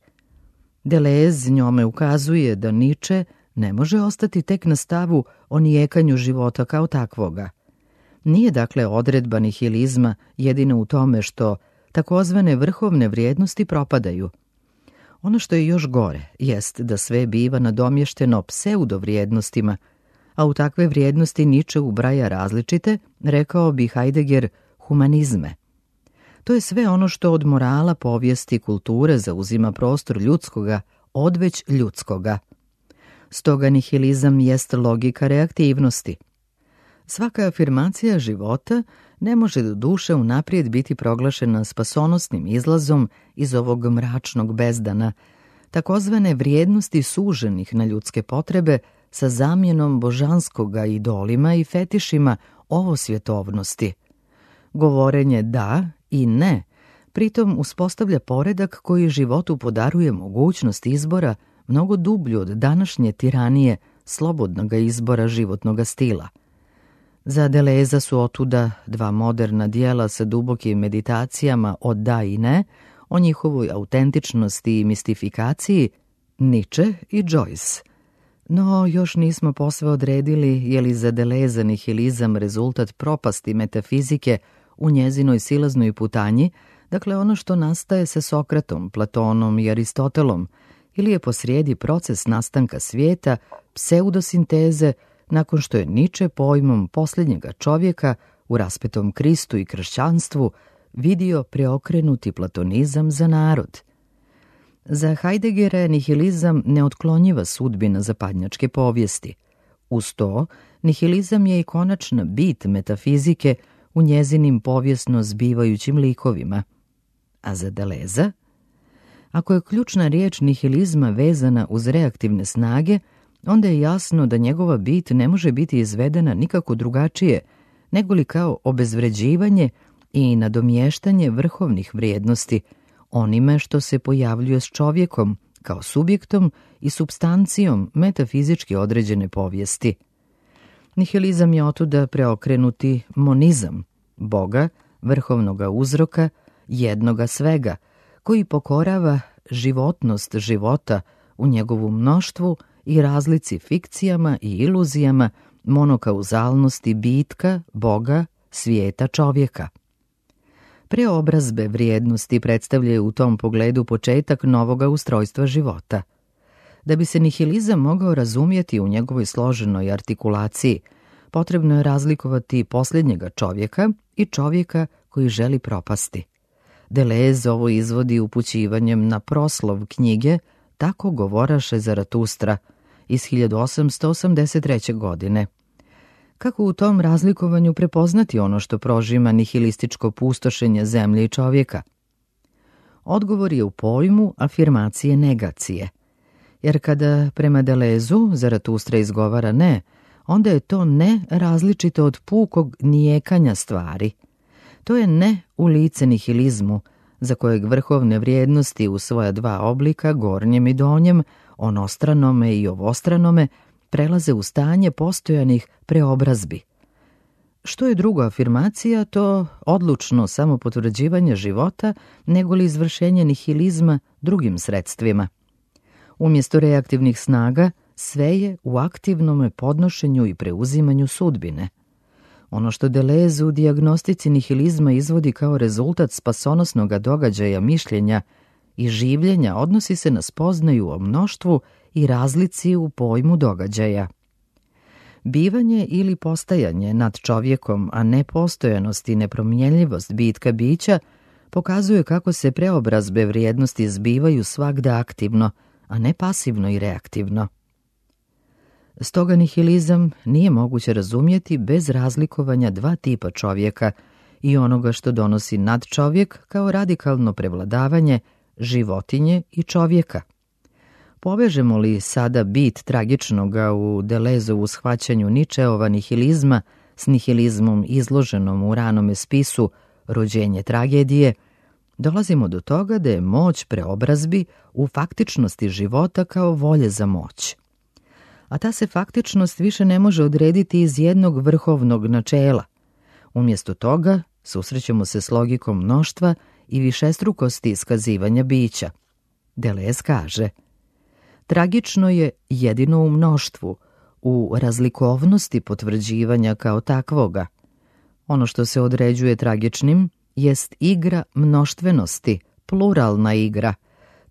Deleuze njome ukazuje da Nietzsche ne može ostati tek na stavu o nijekanju života kao takvoga. Nije dakle odredba nihilizma jedina u tome što takozvane vrhovne vrijednosti propadaju. Ono što je još gore jest da sve biva nadomješteno pseudovrijednostima, a u takve vrijednosti Nietzsche ubraja različite, rekao bi Heidegger, humanizme. To je sve ono što od morala, povijesti i kulture zauzima prostor ljudskoga, odveć ljudskoga. Stoga nihilizam jest logika reaktivnosti. Svaka afirmacija života ne može do duše unaprijed biti proglašena spasonosnim izlazom iz ovog mračnog bezdana, takozvane vrijednosti suženih na ljudske potrebe sa zamjenom božanskoga idolima i fetišima ovosvjetovnosti. Govorenje da i ne pritom uspostavlja poredak koji životu podaruje mogućnost izbora mnogo dublju od današnje tiranije slobodnog izbora životnog stila. Za Deleuza su otuda dva moderna dijela sa dubokim meditacijama o da i ne, o njihovoj autentičnosti i mistifikaciji, Nietzsche i Joyce. No, još nismo posve odredili je li za Deleuza nihilizam rezultat propasti metafizike u njezinoj silaznoj putanji, dakle ono što nastaje sa Sokratom, Platonom i Aristotelom, ili je posrijedi proces nastanka svijeta, pseudosinteze, nakon što je Nietzsche pojmom posljednjega čovjeka u raspetom Kristu i kršćanstvu vidio preokrenuti platonizam za narod. Za Heideggera je nihilizam neotklonjiva sudbina zapadnjačke povijesti. Uz to, nihilizam je i konačna bit metafizike u njezinim povijesno zbivajućim likovima. A za Deleuza? Ako je ključna riječ nihilizma vezana uz reaktivne snage, onda je jasno da njegova bit ne može biti izvedena nikako drugačije, nego li kao obezvređivanje i nadomještanje vrhovnih vrijednosti, onime što se pojavljuje s čovjekom, kao subjektom i supstancijom metafizički određene povijesti. Nihilizam je otuda preokrenuti monizam, Boga, vrhovnoga uzroka, jednoga svega, koji pokorava životnost života u njegovu mnoštvu i razlici fikcijama i iluzijama monokauzalnosti bitka, Boga, svijeta čovjeka. Preobrazbe vrijednosti predstavljaju u tom pogledu početak novoga ustrojstva života. Da bi se nihilizam mogao razumjeti u njegovoj složenoj artikulaciji, potrebno je razlikovati posljednjega čovjeka i čovjeka koji želi propasti. Deleuze ovo izvodi upućivanjem na proslov knjige Tako govoraše Zaratustra iz hiljadu osamsto osamdeset treće. godine. Kako u tom razlikovanju prepoznati ono što prožima nihilističko pustošenje zemlje i čovjeka? Odgovor je u pojmu afirmacije negacije. Jer kada prema Deleuzu Zaratustra izgovara ne, onda je to ne različito od pukog nijekanja stvari. To je ne u lice nihilizmu, za kojeg vrhovne vrijednosti u svoja dva oblika, gornjem i donjem, onostranome i ovostranome, prelaze u stanje postojanih preobrazbi. Što je druga afirmacija, to odlučno samopotvrđivanje života, nego li izvršenje nihilizma drugim sredstvima. Umjesto reaktivnih snaga, sve je u aktivnom podnošenju i preuzimanju sudbine. Ono što Deleuze u dijagnostici nihilizma izvodi kao rezultat spasonosnog događaja mišljenja i življenja odnosi se na spoznaju o mnoštvu i razlici u pojmu događaja. Bivanje ili postajanje nad čovjekom, a ne postojanost i nepromjenljivost bitka bića, pokazuje kako se preobrazbe vrijednosti zbivaju svagda aktivno, a ne pasivno i reaktivno. Stoga nihilizam nije moguće razumjeti bez razlikovanja dva tipa čovjeka i onoga što donosi nadčovjek kao radikalno prevladavanje životinje i čovjeka. Povežemo li sada bit tragičnoga u Deleuzovu shvaćanju Ničeova nihilizma s nihilizmom izloženom u ranome spisu Rođenje tragedije, dolazimo do toga da je moć preobrazbi u faktičnosti života kao volje za moć. A ta se faktičnost više ne može odrediti iz jednog vrhovnog načela. Umjesto toga susrećemo se s logikom mnoštva i višestrukosti iskazivanja bića. Deleuze kaže: tragično je jedino u mnoštvu, u razlikovnosti potvrđivanja kao takvoga. Ono što se određuje tragičnim jest igra mnoštvenosti, pluralna igra.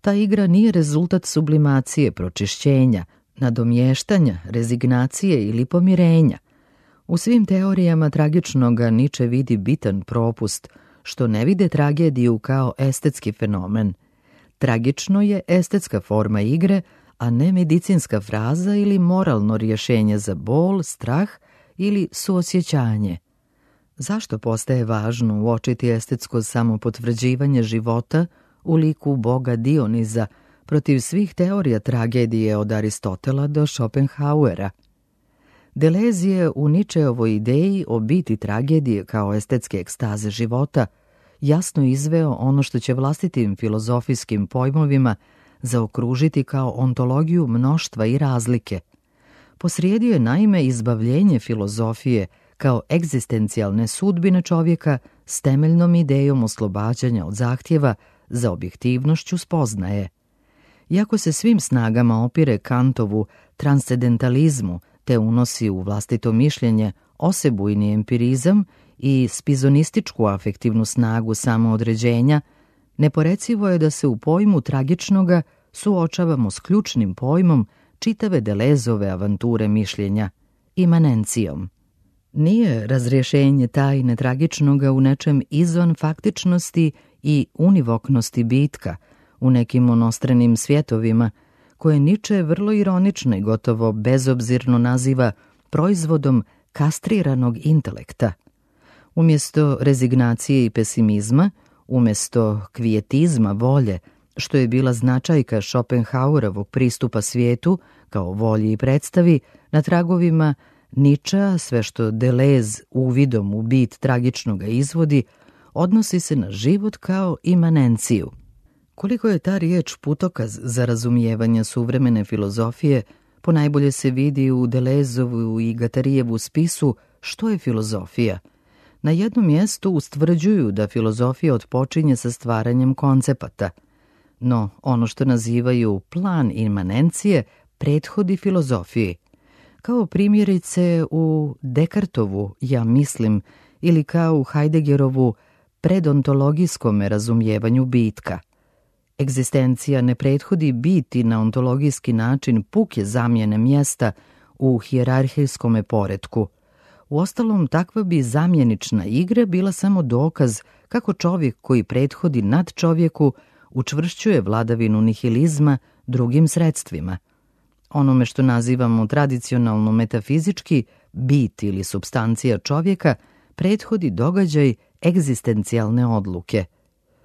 Ta igra nije rezultat sublimacije, pročišćenja, nadomještanja, rezignacije ili pomirenja. U svim teorijama tragičnoga Niče vidi bitan propust, što ne vide tragediju kao estetski fenomen. Tragično je estetska forma igre, a ne medicinska fraza ili moralno rješenje za bol, strah ili suosjećanje. Zašto postaje važno uočiti estetsko samopotvrđivanje života u liku boga Dioniza protiv svih teorija tragedije od Aristotela do Schopenhauera? Deleuze je u Ničeovoj ideji o biti tragedije kao estetske ekstaze života jasno izveo ono što će vlastitim filozofijskim pojmovima zaokružiti kao ontologiju mnoštva i razlike. Posrijedio je naime izbavljenje filozofije kao egzistencijalne sudbine čovjeka s temeljnom idejom oslobađanja od zahtjeva za objektivnošću spoznaje. Iako se svim snagama opire Kantovu transcendentalizmu te unosi u vlastito mišljenje osebujni empirizam i spizonističku afektivnu snagu samoodređenja, neporecivo je da se u pojmu tragičnoga suočavamo s ključnim pojmom čitave Deleuzove avanture mišljenja, imanencijom. Nije razrješenje tajne tragičnoga u nečem izvan faktičnosti i univoknosti bitka, u nekim onostranim svjetovima, koje Niče vrlo ironično i gotovo bezobzirno naziva proizvodom kastriranog intelekta. Umjesto rezignacije i pesimizma, umjesto kvijetizma volje, što je bila značajka Schopenhauerovog pristupa svijetu kao volji i predstavi, na tragovima Ničea sve što Deleuze uvidom u bit tragičnoga izvodi, odnosi se na život kao imanenciju. Koliko je ta riječ putokaz za razumijevanje suvremene filozofije, ponajbolje se vidi u Deleuzovu i Guattarijevu spisu Što je filozofija? Na jednom mjestu ustvrđuju da filozofija otpočinje sa stvaranjem koncepata, no ono što nazivaju plan imanencije prethodi filozofiji, kao primjerice u Dekartovu ja mislim ili kao u Heideggerovu predontologijskom razumijevanju bitka. Egzistencija ne prethodi biti na ontologijski način puke zamjene mjesta u hijerarhijskom poretku. Uostalom, takva bi zamjenična igra bila samo dokaz kako čovjek koji prethodi nad čovjeku učvršćuje vladavinu nihilizma drugim sredstvima. Onome što nazivamo tradicionalno metafizički bit ili supstancija čovjeka prethodi događaj egzistencijalne odluke.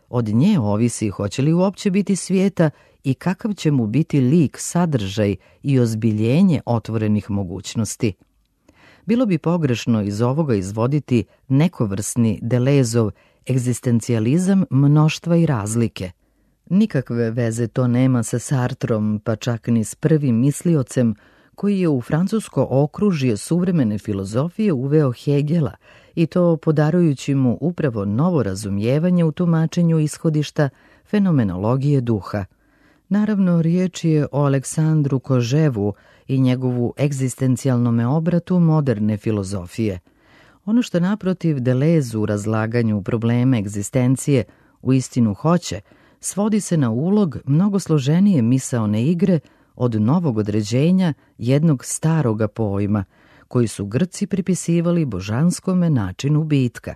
Od nje ovisi hoće li uopće biti svijeta i kakav će mu biti lik, sadržaj i ozbiljenje otvorenih mogućnosti. Bilo bi pogrešno iz ovoga izvoditi nekovrsni Delezov egzistencijalizam mnoštva i razlike. Nikakve veze to nema sa Sartrom, pa čak ni s prvim misliocem koji je u francusko okružje suvremene filozofije uveo Hegela i to podarujući mu upravo novo razumijevanje u tumačenju ishodišta fenomenologije duha. Naravno, riječ je o Aleksandru Koževu i njegovu egzistencijalnome obratu moderne filozofije. Ono što naprotiv Deleuze u razlaganju problema egzistencije u istinu hoće, svodi se na ulog mnogo složenije misaone igre od novog određenja jednog staroga pojma, koji su Grci pripisivali božanskome načinu bitka.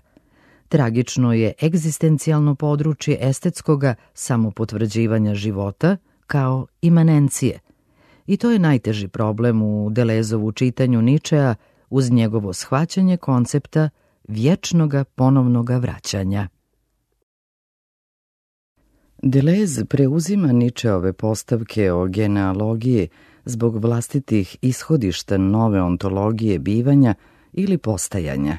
Tragično je egzistencijalno područje estetskoga samopotvrđivanja života kao imanencije. I to je najteži problem u Deleuzovu čitanju Ničea uz njegovo shvaćanje koncepta vječnoga ponovnoga vraćanja. Deleuze preuzima Ničeove postavke o genealogiji zbog vlastitih ishodišta nove ontologije bivanja ili postajanja.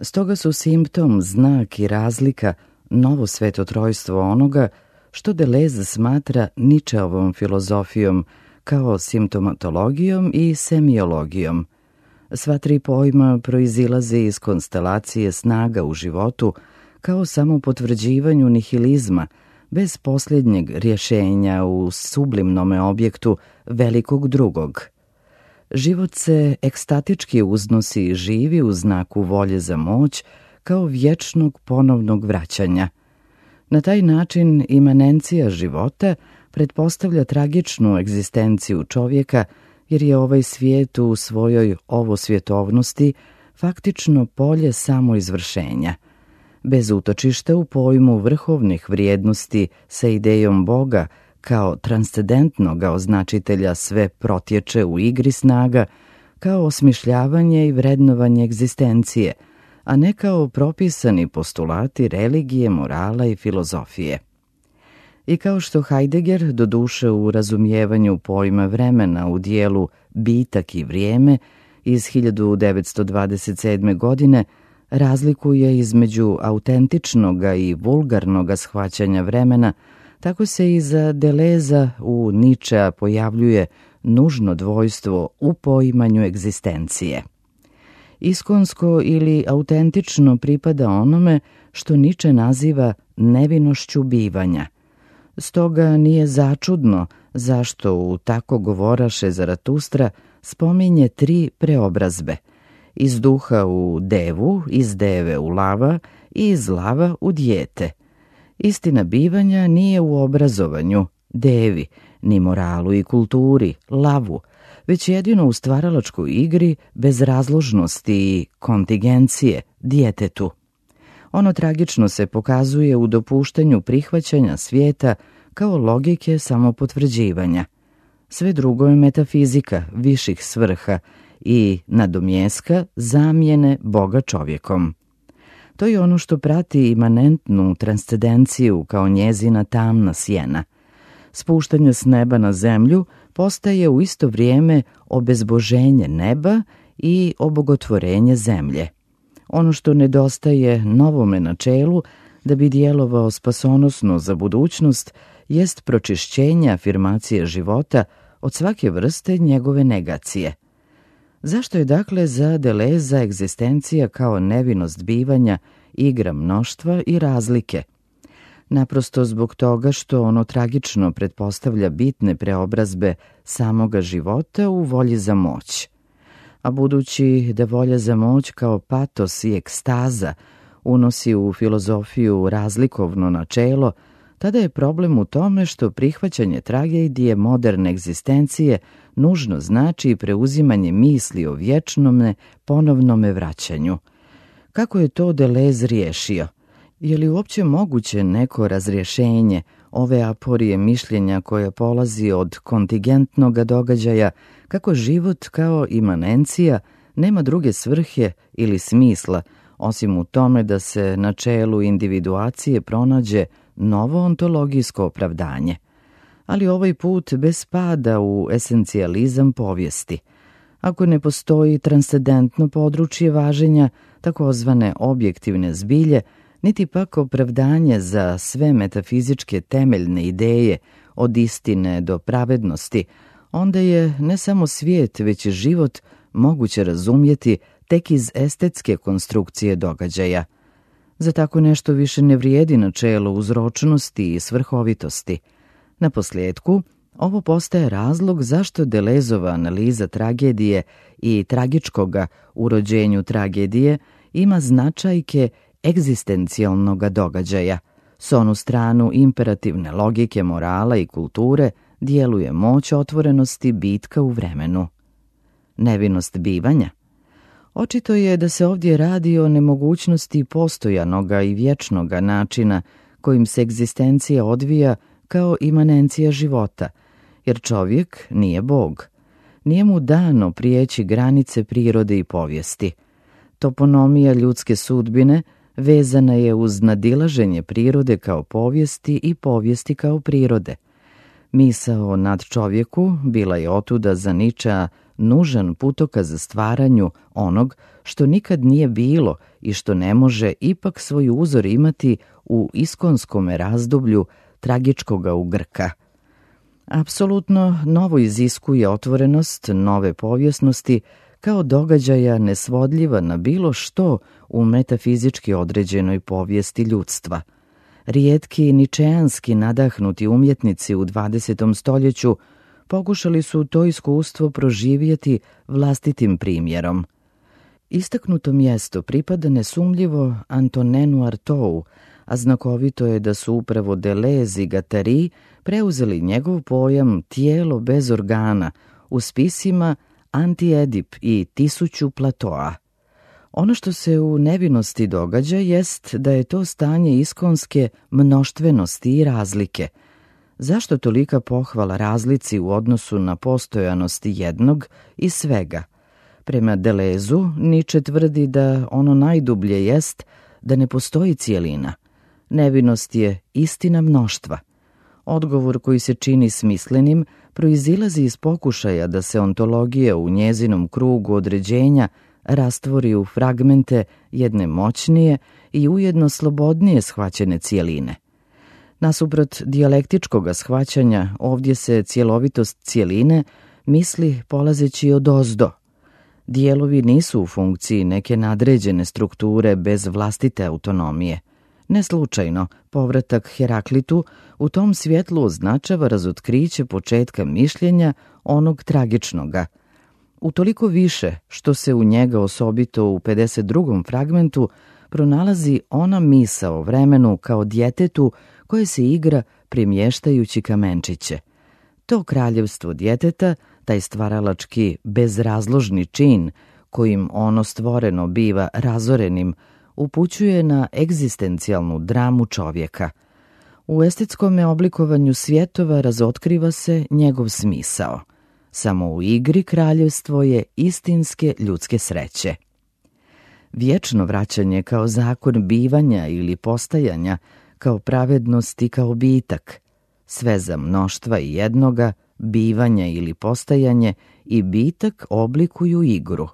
Stoga su simptom, znak i razlika novo svetotrojstvo onoga što Deleuze smatra Ničeovom filozofijom kao simptomatologijom i semiologijom. Sva tri pojma proizilaze iz konstelacije snaga u životu kao samo potvrđivanju nihilizma, bez posljednjeg rješenja u sublimnome objektu velikog drugog. Život se ekstatički uznosi i živi u znaku volje za moć kao vječnog ponovnog vraćanja. Na taj način imanencija života pretpostavlja tragičnu egzistenciju čovjeka, jer je ovaj svijet u svojoj ovosvjetovnosti faktično polje samoizvršenja. Bez utočišta u pojmu vrhovnih vrijednosti sa idejom Boga kao transcendentnog označitelja sve protječe u igri snaga, kao osmišljavanje i vrednovanje egzistencije, a ne kao propisani postulati religije, morala i filozofije. I kao što Heidegger, doduše u razumijevanju pojma vremena u dijelu Bitak i vrijeme iz hiljadu devetsto dvadeset sedme. godine, razlikuje između autentičnoga i vulgarnoga shvaćanja vremena, tako se i za Deleza u Ničea pojavljuje nužno dvojstvo u poimanju egzistencije. Iskonsko ili autentično pripada onome što Niče naziva nevinošću bivanja. Stoga nije začudno zašto u tako govoraše Zaratustra spominje tri preobrazbe, iz duha u devu, iz deve u lava i iz lava u dijete. Istina bivanja nije u obrazovanju, devi, ni moralu i kulturi, lavu, već jedino u stvaralačkoj igri bez razložnosti i kontingencije, djetetu. Ono tragično se pokazuje u dopuštanju prihvaćanja svijeta kao logike samopotvrđivanja. Sve drugo je metafizika viših svrha i nadomjeska zamjene Boga čovjekom. To je ono što prati imanentnu transcendenciju kao njezina tamna sjena. Spuštanje s neba na zemlju postaje u isto vrijeme obezboženje neba i obogotvorenje zemlje. Ono što nedostaje novome načelu da bi djelovao spasonosno za budućnost jest pročišćenje afirmacije života od svake vrste njegove negacije. Zašto je dakle za Deleza egzistencija kao nevinost bivanja igra mnoštva i razlike? naprosto zbog toga što ono tragično pretpostavlja bitne preobrazbe samoga života u volji za moć. A budući da volja za moć kao patos i ekstaza unosi u filozofiju razlikovno načelo, tada je problem u tome što prihvaćanje tragedije moderne egzistencije nužno znači preuzimanje misli o vječnome ponovnome vraćanju. Kako je to Deleuze riješio? Je li uopće moguće neko razrješenje ove aporije mišljenja koja polazi od kontingentnog događaja, kako život kao imanencija nema druge svrhe ili smisla, osim u tome da se na čelu individuacije pronađe novo ontologijsko opravdanje? Ali ovaj put bez pada u esencijalizam povijesti. Ako ne postoji transcendentno područje važenja, takozvane objektivne zbilje, niti pak opravdanje za sve metafizičke temeljne ideje od istine do pravednosti, onda je ne samo svijet, već i život moguće razumjeti tek iz estetske konstrukcije događaja. Za tako nešto više ne vrijedi načelo uzročnosti i svrhovitosti. Na posljedku, ovo postaje razlog zašto Deleuzova analiza tragedije i tragičkoga u rođenju tragedije ima značajke egzistencijalnog događaja. S onu stranu imperativne logike morala i kulture djeluje moć otvorenosti bitka u vremenu. Nevinost bivanja. Očito je da se ovdje radi o nemogućnosti postojanoga i vječnoga načina kojim se egzistencija odvija kao imanencija života, jer čovjek nije Bog. Nije mu dano prijeći granice prirode i povijesti. Toponomija ljudske sudbine vezana je uz nadilaženje prirode kao povijesti i povijesti kao prirode. Misao nad čovjeku bila je otuda za Nietzschea nužan putokaz za stvaranju onog što nikad nije bilo i što ne može ipak svoj uzor imati u iskonskome razdoblju tragičkoga ugrka. Apsolutno novo iziskuje otvorenost nove povjesnosti kao događaja nesvodljiva na bilo što u metafizički određenoj povijesti ljudstva. Rijetki ničeanski nadahnuti umjetnici u dvadesetom stoljeću pokušali su to iskustvo proživjeti vlastitim primjerom. Istaknuto mjesto pripada nesumljivo Antonenu Artaud'u, a znakovito je da su upravo Deleuze i Guattari preuzeli njegov pojam tijelo bez organa u spisima Anti-Edip i Tisuću Platoa. Ono što se u nevinosti događa jest da je to stanje iskonske mnoštvenosti i razlike. Zašto tolika pohvala razlici u odnosu na postojanost jednog i svega? Prema Deleuzu, Nietzsche tvrdi da ono najdublje jest da ne postoji cijelina. Nevinost je istina mnoštva. Odgovor koji se čini smislenim proizilazi iz pokušaja da se ontologija u njezinom krugu određenja rastvori u fragmente jedne moćnije i ujedno slobodnije shvaćene cijeline. Nasuprot dijalektičkog shvaćanja, ovdje se cjelovitost cijeline misli polazeći od ozdo. Dijelovi nisu u funkciji neke nadređene strukture bez vlastite autonomije. Ne slučajno, povratak Heraklitu u tom svjetlu označava razotkriće početka mišljenja onog tragičnoga. Utoliko više što se u njega osobito u pedeset drugom fragmentu pronalazi ona misao o vremenu kao djetetu koje se igra premještajući kamenčiće. To kraljevstvo djeteta, taj stvaralački bezrazložni čin kojim ono stvoreno biva razorenim, upućuje na egzistencijalnu dramu čovjeka. U estetskome oblikovanju svjetova razotkriva se njegov smisao. Samo u igri kraljevstvo je istinske ljudske sreće. Vječno vraćanje kao zakon bivanja ili postajanja, kao pravednost i kao bitak, sveza mnoštva i jednoga, bivanja ili postajanje i bitak oblikuju igru.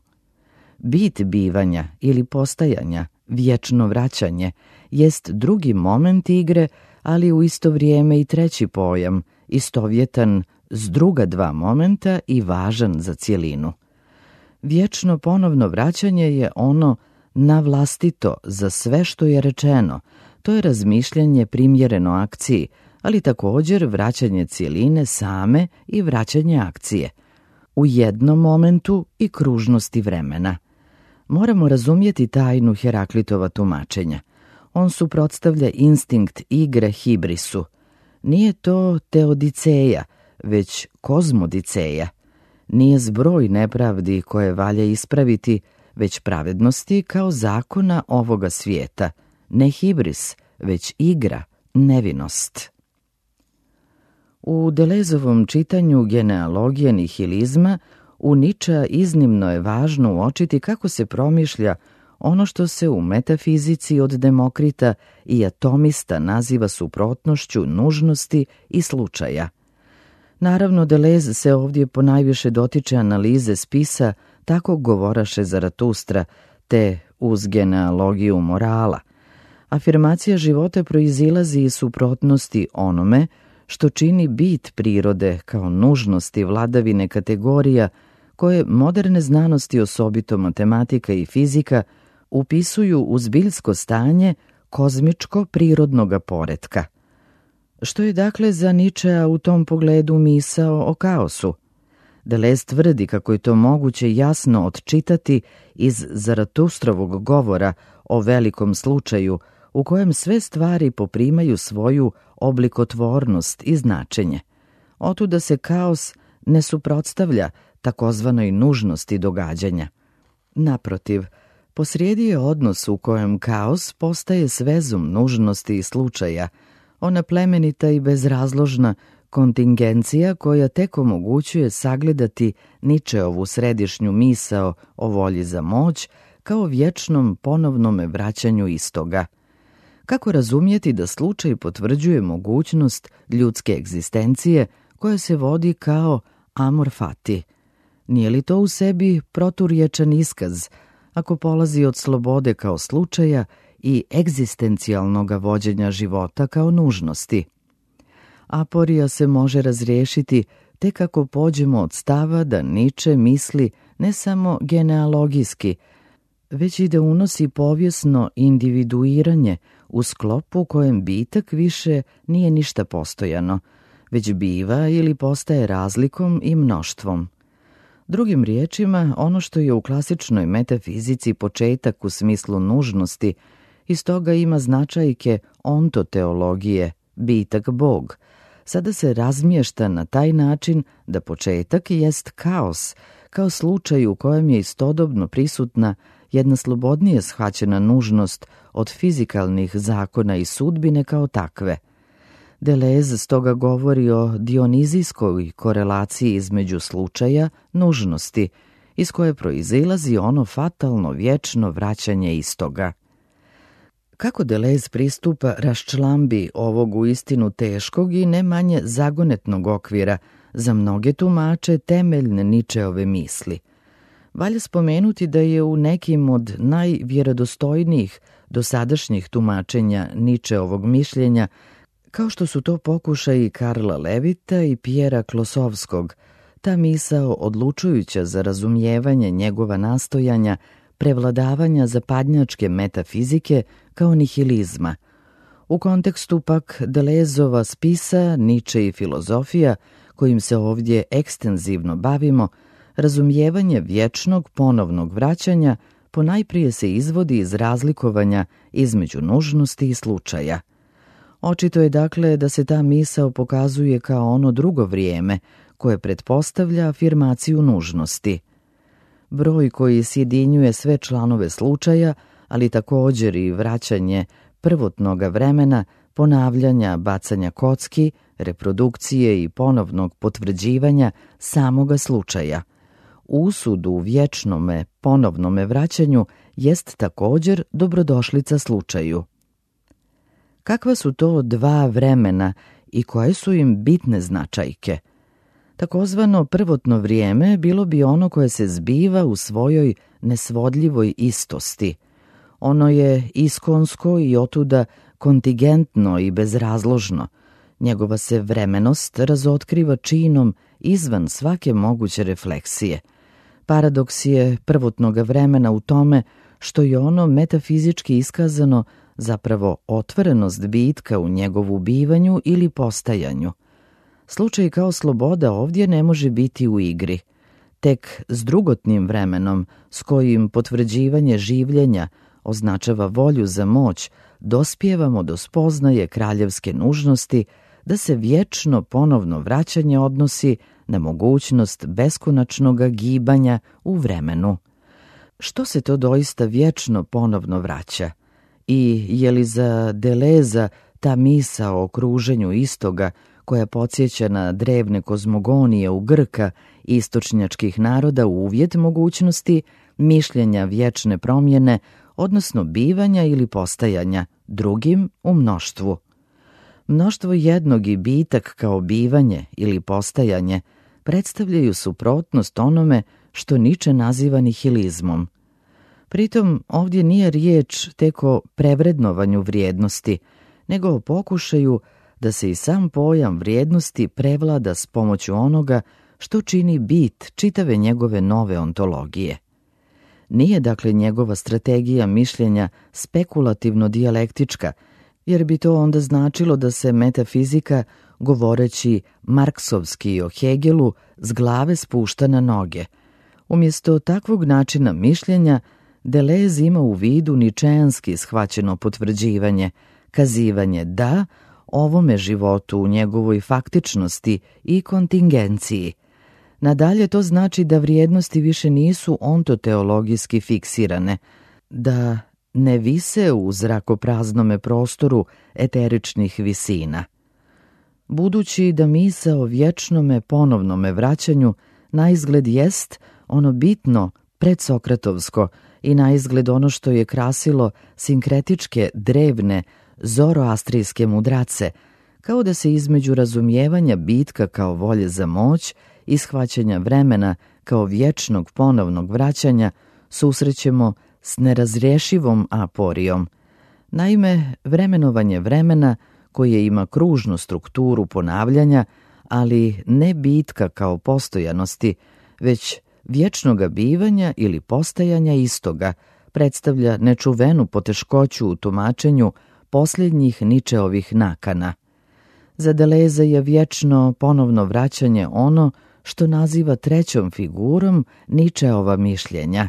Bit bivanja ili postajanja, vječno vraćanje, jest drugi moment igre, ali u isto vrijeme i treći pojam, istovjetan s druga dva momenta i važan za cjelinu. Vječno ponovno vraćanje je ono navlastito za sve što je rečeno, To je razmišljanje primjereno akciji, ali također vraćanje cjeline same i vraćanje akcije. U jednom momentu i kružnosti vremena. Moramo razumjeti tajnu Heraklitova tumačenja. On suprotstavlja instinkt igre hibrisu. Nije to teodiceja, već kozmodiceja. Nije zbroj nepravdi koje valja ispraviti, već pravednosti kao zakona ovoga svijeta. Ne hibris, već igra, nevinost. U Delezovom čitanju genealogije nihilizma u Ničea iznimno je važno uočiti kako se promišlja ono što se u metafizici od Demokrita i atomista naziva suprotnošću nužnosti i slučaja. Naravno, Deleuze se ovdje ponajviše dotiče analize spisa tako govoraše Zaratustra, te uz genealogiju morala. Afirmacija života proizilazi iz suprotnosti onome što čini bit prirode kao nužnosti vladavine kategorija koje moderne znanosti, osobito matematika i fizika, upisuju u zbiljsko stanje kozmičko-prirodnoga poretka. Što je dakle za Ničea u tom pogledu misao o kaosu? Deleuze tvrdi kako je to moguće jasno odčitati iz Zaratustrovog govora o velikom slučaju u kojem sve stvari poprimaju svoju oblikotvornost i značenje. Otuda se kaos ne suprotstavlja takozvanoj nužnosti događanja. Naprotiv, posrijedi je odnos u kojem kaos postaje svezom nužnosti i slučaja, ona plemenita i bezrazložna kontingencija koja tek omogućuje sagledati Ničeovu središnju misao o volji za moć kao vječnom ponovnome vraćanju istoga. Kako razumjeti da slučaj potvrđuje mogućnost ljudske egzistencije koja se vodi kao amor fati? Nije li to u sebi proturječan iskaz ako polazi od slobode kao slučaja i egzistencijalnog vođenja života kao nužnosti? Aporija se može razriješiti tek ako pođemo od stava da Niče misli ne samo genealogijski, već i da unosi povijesno individuiranje u sklopu u kojem bitak više nije ništa postojano, već biva ili postaje razlikom i mnoštvom. Drugim riječima, ono što je u klasičnoj metafizici početak u smislu nužnosti, iz toga ima značajke ontoteologije, bitak Bog, sada se razmješta na taj način da početak jest kaos, kao slučaj u kojem je istodobno prisutna jedna slobodnije shvaćena nužnost od fizikalnih zakona i sudbine kao takve. Deleuze stoga govori o dionizijskoj korelaciji između slučaja, nužnosti, iz koje proizilazi ono fatalno vječno vraćanje istoga. Kako Deleuze pristupa raščlambi ovog uistinu teškog i ne manje zagonetnog okvira za mnoge tumače temeljne Ničeove misli? Valja spomenuti da je u nekim od najvjerodostojnijih dosadašnjih tumačenja Ničeovog mišljenja, kao što su to pokušaji Karla Levita i Pjera Klosovskog, ta misao odlučujuća za razumijevanje njegova nastojanja prevladavanja zapadnjačke metafizike kao nihilizma. U kontekstu pak Deleuzova spisa Niče i filozofija, kojim se ovdje ekstenzivno bavimo, razumijevanje vječnog ponovnog vraćanja ponajprije se izvodi iz razlikovanja između nužnosti i slučaja. Očito je dakle da se ta misao pokazuje kao ono drugo vrijeme koje pretpostavlja afirmaciju nužnosti. Broj koji sjedinjuje sve članove slučaja, ali također i vraćanje prvotnoga vremena, ponavljanja, bacanja kocki, reprodukcije i ponovnog potvrđivanja samoga slučaja. Usud u vječnome ponovnome vraćanju jest također dobrodošlica slučaju. Kakva su to dva vremena i koje su im bitne značajke? Takozvano prvotno vrijeme bilo bi ono koje se zbiva u svojoj nesvodljivoj istosti. Ono je iskonsko i otuda kontingentno i bezrazložno. Njegova se vremenost razotkriva činom izvan svake moguće refleksije. Paradoks je prvotnoga vremena u tome što je ono metafizički iskazano zapravo otvorenost bitka u njegovu bivanju ili postajanju. Slučaj kao sloboda ovdje ne može biti u igri. Tek s drugotnim vremenom, s kojim potvrđivanje življenja označava volju za moć, dospijevamo do spoznaje kraljevske nužnosti da se vječno ponovno vraćanje odnosi na mogućnost beskonačnog gibanja u vremenu. Što se to doista vječno ponovno vraća? I je li za Deleza ta misao o kruženju istoga, koja podsjeća na drevne kozmogonije u Grka i istočnjačkih naroda, uvjet mogućnosti mišljenja vječne promjene, odnosno bivanja ili postajanja drugim u mnoštvu? Mnoštvo jednog i bitak kao bivanje ili postajanje predstavljaju suprotnost onome što Nietzsche naziva nihilizmom. Pritom ovdje nije riječ tek o prevrednovanju vrijednosti, nego o pokušaju da se i sam pojam vrijednosti prevlada s pomoću onoga što čini bit čitave njegove nove ontologije. Nije dakle njegova strategija mišljenja spekulativno-dijalektička, jer bi to onda značilo da se metafizika, govoreći marksovski o Hegelu, s glave spušta na noge. Umjesto takvog načina mišljenja, Deleuze ima u vidu ničeanski shvaćeno potvrđivanje, kazivanje da ovome životu u njegovoj faktičnosti i kontingenciji. Nadalje to znači da vrijednosti više nisu ontoteologijski fiksirane, da ne vise u zrakopraznome prostoru eteričnih visina. Budući da misao o vječnome ponovnome vraćanju naizgled jest ono bitno predsokratovsko i naizgled ono što je krasilo sinkretičke drevne zoroastrijske mudrace, kao da se između razumijevanja bitka kao volje za moć i shvaćanja vremena kao vječnog ponovnog vraćanja susrećemo s nerazrješivom aporijom. Naime, vremenovanje vremena, koje ima kružnu strukturu ponavljanja, ali ne bitka kao postojanosti, već vječnoga bivanja ili postajanja istoga, predstavlja nečuvenu poteškoću u tumačenju posljednjih Nietzscheovih nakana. Za Deleuze je vječno ponovno vraćanje ono što naziva trećom figurom Nietzscheova mišljenja.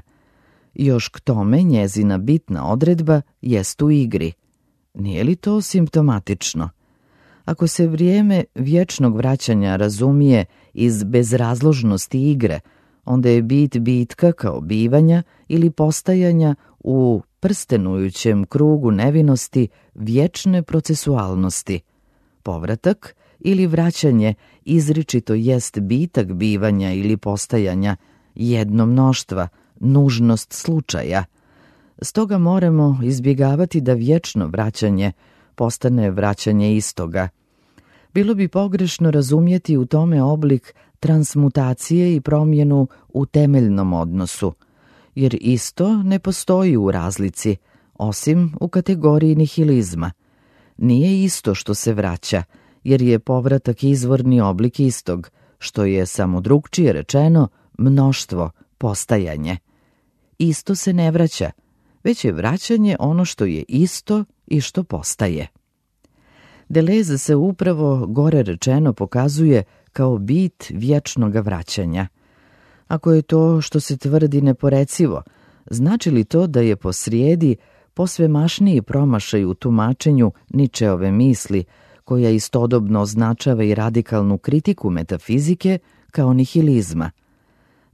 Još k tome njezina bitna odredba jest u igri. Nije li to simptomatično? Ako se vrijeme vječnog vraćanja razumije iz bezrazložnosti igre, onda je bit bitka kao bivanja ili postajanja u prstenujućem krugu nevinosti vječne procesualnosti. Povratak ili vraćanje izričito jest bitak bivanja ili postajanja, jedno mnoštva, nužnost slučaja. Stoga moramo izbjegavati da vječno vraćanje postane vraćanje istoga. Bilo bi pogrešno razumjeti u tome oblik transmutacije i promjenu u temeljnom odnosu, jer isto ne postoji u razlici, osim u kategoriji nihilizma. Nije isto što se vraća, jer je povratak izvorni oblik istog, što je samo drugčije rečeno mnoštvo, postajanje. Isto se ne vraća, već je vraćanje ono što je isto i što postaje. Deleuze se upravo gore rečeno pokazuje kao bit vječnoga vraćanja. Ako je to što se tvrdi neporecivo, znači li to da je posrijedi posvemašniji promašaj u tumačenju Nietzscheove misli, koja istodobno označava i radikalnu kritiku metafizike kao nihilizma?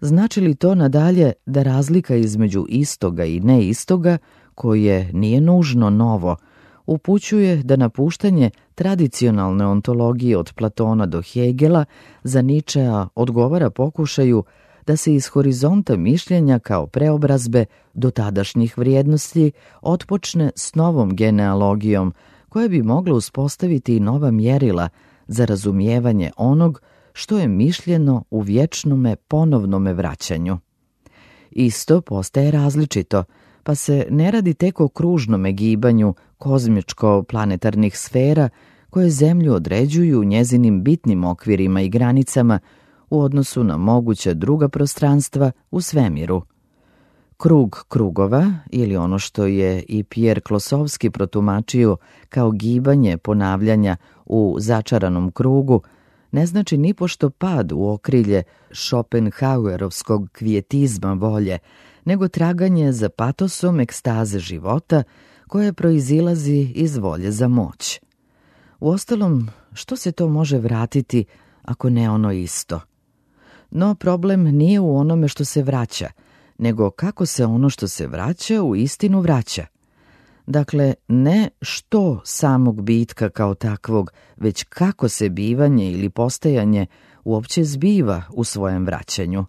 Znači li to nadalje da razlika između istoga i neistoga, koje nije nužno novo, upućuje da napuštanje tradicionalne ontologije od Platona do Hegela za Nietzschea odgovara pokušaju da se iz horizonta mišljenja kao preobrazbe do tadašnjih vrijednosti otpočne s novom genealogijom, koja bi mogla uspostaviti i nova mjerila za razumijevanje onog što je mišljeno u vječnome ponovnome vraćanju. Isto postaje različito, pa se ne radi tek o kružnome gibanju kozmičko-planetarnih sfera koje zemlju određuju njezinim bitnim okvirima i granicama u odnosu na moguća druga prostranstva u svemiru. krug krugova ili ono što je i Pierre Klosovski protumačio kao gibanje ponavljanja u začaranom krugu, ne znači nipošto pad u okrilje Schopenhauerovskog kvijetizma volje, nego traganje za patosom ekstaze života koje proizilazi iz volje za moć. Uostalom, što se to može vratiti ako ne ono isto? No problem nije u onome što se vraća, nego kako se ono što se vraća u istinu vraća. Dakle, ne što samog bitka kao takvog, već kako se bivanje ili postajanje uopće zbiva u svojem vraćanju.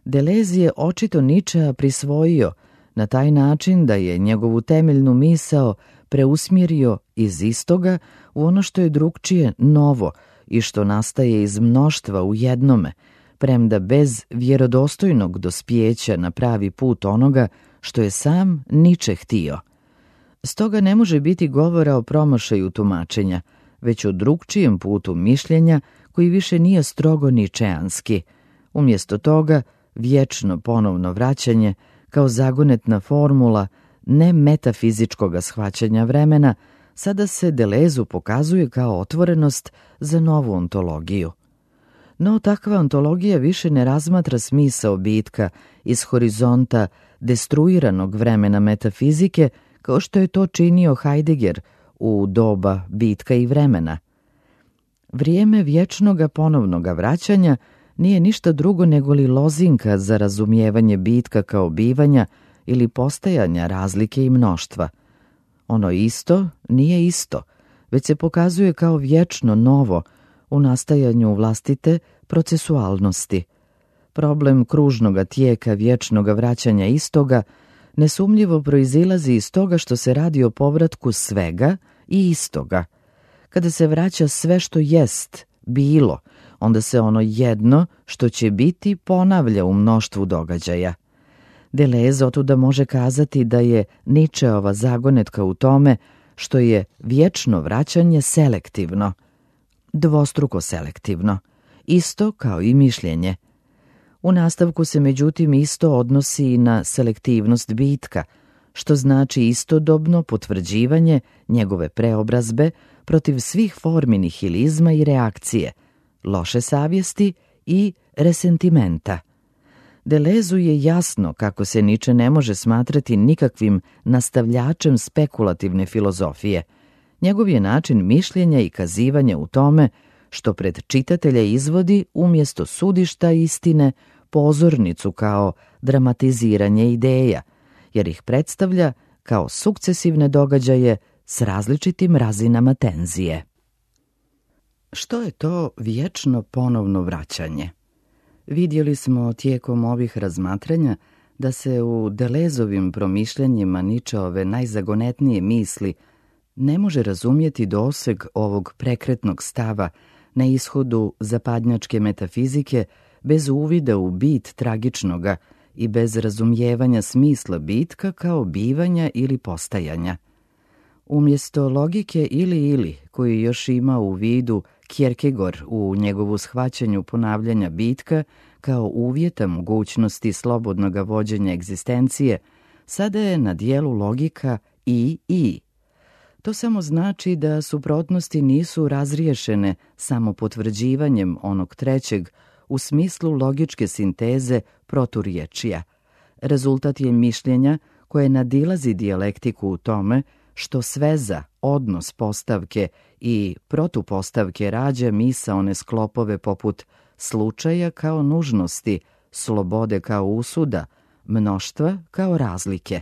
Deleuze je očito Nietzschea prisvojio na taj način da je njegovu temeljnu misao preusmjerio iz istoga u ono što je drugčije novo i što nastaje iz mnoštva u jednome, premda bez vjerodostojnog dospjeća na pravi put onoga što je sam Nietzsche htio. Stoga ne može biti govora o promašaju tumačenja, već o drugčijem putu mišljenja koji više nije strogo ničeanski. Umjesto toga, vječno ponovno vraćanje kao zagonetna formula ne metafizičkog shvaćanja vremena sada se Deleuzu pokazuje kao otvorenost za novu ontologiju. No takva ontologija više ne razmatra smisao bitka iz horizonta destruiranog vremena metafizike kao što je to činio Heidegger u doba bitka i vremena. Vrijeme vječnoga ponovnoga vraćanja nije ništa drugo nego li lozinka za razumijevanje bitka kao bivanja ili postajanja razlike i mnoštva. Ono isto nije isto, već se pokazuje kao vječno novo u nastajanju vlastite procesualnosti. Problem kružnoga tijeka vječnoga vraćanja istoga nesumnjivo proizilazi iz toga što se radi o povratku svega i istoga. Kada se vraća sve što jest, bilo, onda se ono jedno što će biti ponavlja u mnoštvu događaja. Deleuze otuda može kazati da je Nietzscheova zagonetka u tome što je vječno vraćanje selektivno, dvostruko selektivno, isto kao i mišljenje. U nastavku se međutim isto odnosi i na selektivnost bitka, što znači istodobno potvrđivanje njegove preobrazbe protiv svih formi nihilizma i reakcije, loše savjesti i resentimenta. Deleuzu je jasno kako se Nietzsche ne može smatrati nikakvim nastavljačem spekulativne filozofije. Njegov je način mišljenja i kazivanja u tome što pred čitatelja izvodi umjesto sudišta istine pozornicu kao dramatiziranje ideja, jer ih predstavlja kao sukcesivne događaje s različitim razinama tenzije. Što je to vječno ponovno vraćanje? Vidjeli smo tijekom ovih razmatranja da se u Deleuzovim promišljanjima Nietzscheove najzagonetnije misli ne može razumjeti doseg ovog prekretnog stava na ishodu zapadnjačke metafizike bez uvida u bit tragičnoga i bez razumijevanja smisla bitka kao bivanja ili postajanja. Umjesto logike ili-ili, koju još ima u vidu Kierkegaard u njegovu shvaćanju ponavljanja bitka kao uvjeta mogućnosti slobodnog vođenja egzistencije, sada je na dijelu logika i-i. To samo znači da suprotnosti nisu razriješene samo potvrđivanjem onog trećeg u smislu logičke sinteze proturječija. Rezultat je mišljenja koje nadilazi dijalektiku u tome što sveza, odnos postavke i protupostavke rađa misaone sklopove poput slučaja kao nužnosti, slobode kao usuda, mnoštva kao razlike.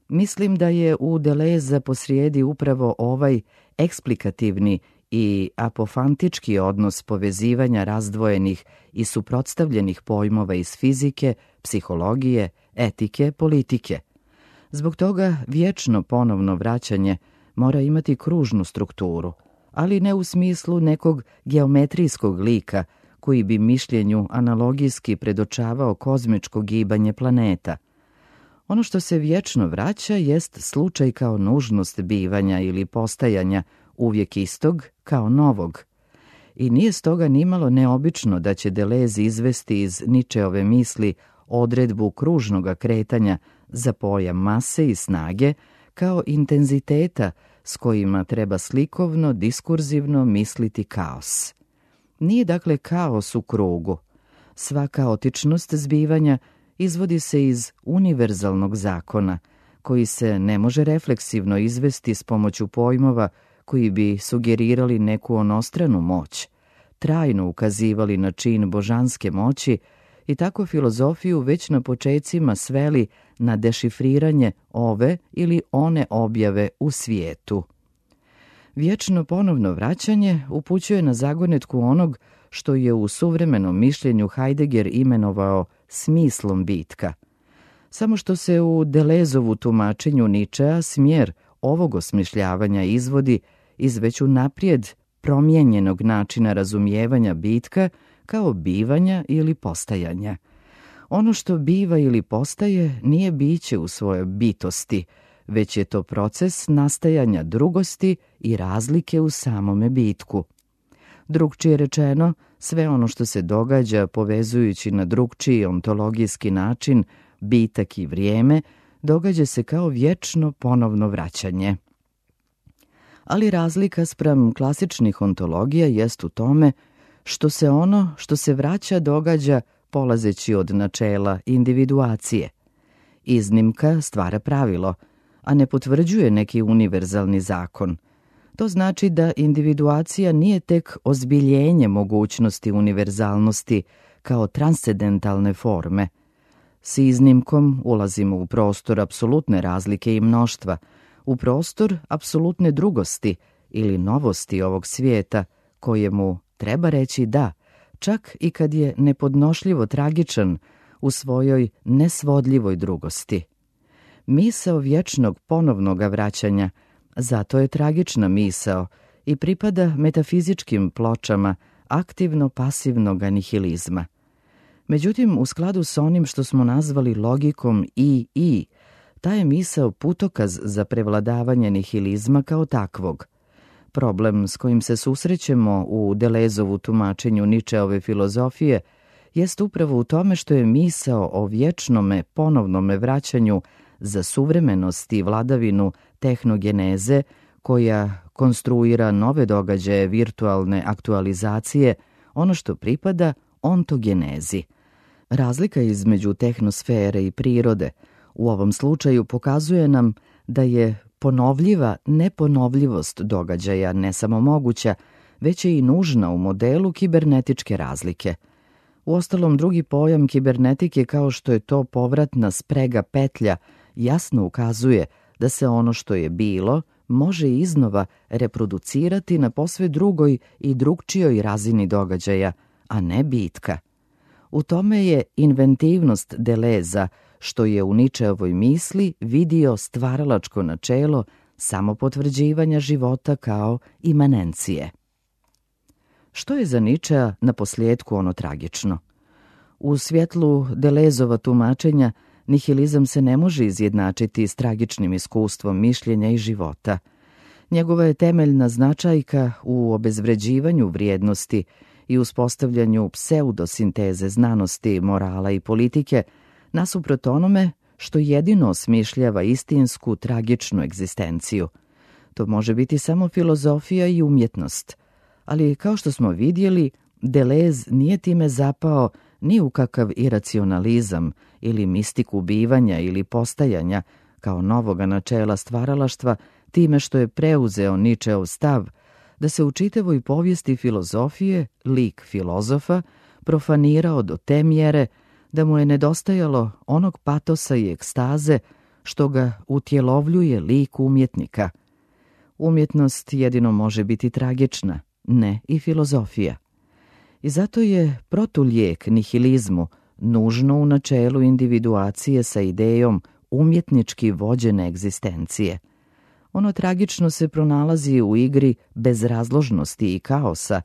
Mislim da je u Deleuze posrijedi upravo ovaj eksplikativni i apofantički odnos povezivanja razdvojenih i suprotstavljenih pojmova iz fizike, psihologije, etike, politike. Zbog toga vječno ponovno vraćanje mora imati kružnu strukturu, ali ne u smislu nekog geometrijskog lika koji bi mišljenju analogijski predočavao kozmičko gibanje planeta. Ono što se vječno vraća jest slučaj kao nužnost bivanja ili postajanja uvijek istog kao novog. I nije stoga nimalo neobično da će Deleuze izvesti iz Nietzscheove misli odredbu kružnoga kretanja za pojam mase i snage kao intenziteta s kojima treba slikovno, diskurzivno misliti kaos. Nije dakle kaos u krugu. Sva kaotičnost zbivanja izvodi se iz univerzalnog zakona, koji se ne može refleksivno izvesti s pomoću pojmova koji bi sugerirali neku onostranu moć, trajno ukazivali na čin božanske moći i tako filozofiju već na počecima sveli na dešifriranje ove ili one objave u svijetu. Vječno ponovno vraćanje upućuje na zagonetku onog što je u suvremenom mišljenju Heidegger imenovao smislom bitka. Samo što se u Delezovu tumačenju Ničea smjer ovog osmišljavanja izvodi iz već unaprijed promijenjenog načina razumijevanja bitka kao bivanja ili postajanja. Ono što biva ili postaje nije biće u svojoj bitosti, već je to proces nastajanja drugosti i razlike u samome bitku. Drugčije rečeno, sve ono što se događa povezujući na drugčiji ontologijski način, bitak i vrijeme, događa se kao vječno ponovno vraćanje. Ali razlika spram klasičnih ontologija jest u tome što se ono što se vraća događa polazeći od načela individuacije. Iznimka stvara pravilo, a ne potvrđuje neki univerzalni zakon. To znači da individuacija nije tek ozbiljenje mogućnosti univerzalnosti kao transcendentalne forme. S iznimkom ulazimo u prostor apsolutne razlike i mnoštva, u prostor apsolutne drugosti ili novosti ovog svijeta, kojemu treba reći da, čak i kad je nepodnošljivo tragičan u svojoj nesvodljivoj drugosti. Misao vječnog ponovnoga vraćanja zato je tragična misao i pripada metafizičkim pločama aktivno-pasivnog nihilizma. Međutim, u skladu s onim što smo nazvali logikom i i, ta je misao putokaz za prevladavanje nihilizma kao takvog. Problem s kojim se susrećemo u Delezovu tumačenju Ničeove filozofije jest upravo u tome što je misao o vječnome ponovnome vraćanju za suvremenost i vladavinu tehnogeneze, koja konstruira nove događaje virtualne aktualizacije, ono što pripada ontogenezi. Razlika između tehnosfere i prirode u ovom slučaju pokazuje nam da je ponovljiva neponovljivost događaja ne samo moguća, već je i nužna u modelu kibernetičke razlike. Uostalom, drugi pojam kibernetike, kao što je to povratna sprega petlja, jasno ukazuje da se ono što je bilo može iznova reproducirati na posve drugoj i drugčijoj razini događaja, a ne bitka. U tome je inventivnost Deleza, što je u Ničeovoj misli vidio stvaralačko načelo samopotvrđivanja života kao imanencije. Što je za Ničea na posljedku ono tragično? U svjetlu Delezova tumačenja nihilizam se ne može izjednačiti s tragičnim iskustvom mišljenja i života. Njegova je temeljna značajka u obezvređivanju vrijednosti i uspostavljanju pseudosinteze znanosti, morala i politike, nasuprot onome što jedino osmišljava istinsku tragičnu egzistenciju. To može biti samo filozofija i umjetnost, ali kao što smo vidjeli, Delez nije time zapao ni u kakav iracionalizam ili mistiku bivanja ili postajanja kao novoga načela stvaralaštva, time što je preuzeo Ničeov stav da se u čitavoj povijesti filozofije lik filozofa profanirao do te mjere da mu je nedostajalo onog patosa i ekstaze što ga utjelovljuje lik umjetnika. Umjetnost jedino može biti tragična, ne i filozofija. I zato je protulijek nihilizmu nužno u načelu individuacije sa idejom umjetnički vođene egzistencije. Ono tragično se pronalazi u igri bezrazložnosti i kaosa,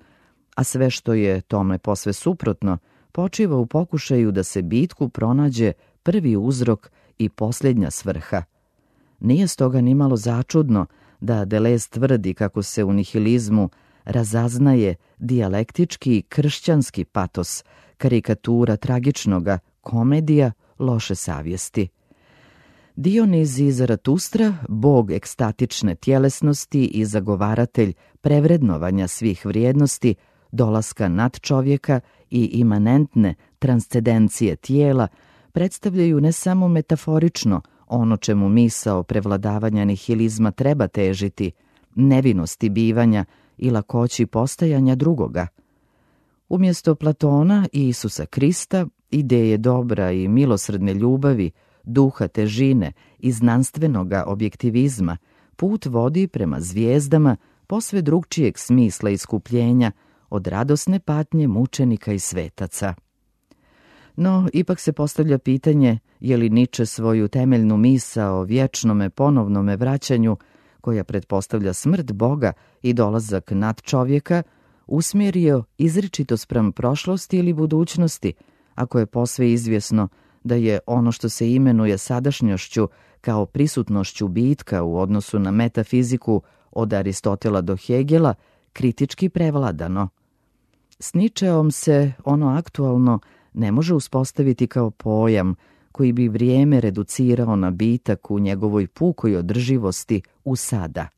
a sve što je tome posve suprotno počiva u pokušaju da se bitku pronađe prvi uzrok i posljednja svrha. Nije stoga nimalo začudno da Delez tvrdi kako se u nihilizmu razaznaje dijalektički kršćanski patos, karikatura tragičnoga komedija loše savjesti. Dioniz iz Zaratustra, bog ekstatične tjelesnosti i zagovaratelj prevrednovanja svih vrijednosti, dolaska nad čovjeka i imanentne transcendencije tijela, predstavljaju ne samo metaforično ono čemu misao prevladavanja nihilizma treba težiti, nevinosti bivanja i lakoći postajanja drugoga. Umjesto Platona i Isusa Krista, ideje dobra i milosrdne ljubavi, duha težine i znanstvenoga objektivizma, put vodi prema zvijezdama posve drugčijeg smisla iskupljenja od radosne patnje mučenika i svetaca. No, ipak se postavlja pitanje je li Nietzsche svoju temeljnu misao o vječnome ponovnome vraćanju, koja pretpostavlja smrt Boga i dolazak nad čovjeka, usmjerio izričito spram prošlosti ili budućnosti, ako je posve izvjesno da je ono što se imenuje sadašnjošću kao prisutnošću bitka u odnosu na metafiziku od Aristotela do Hegela kritički prevladano. S Nietzscheom se ono aktualno ne može uspostaviti kao pojam koji bi vrijeme reducirao na bitak u njegovoj pukoj održivosti u sada.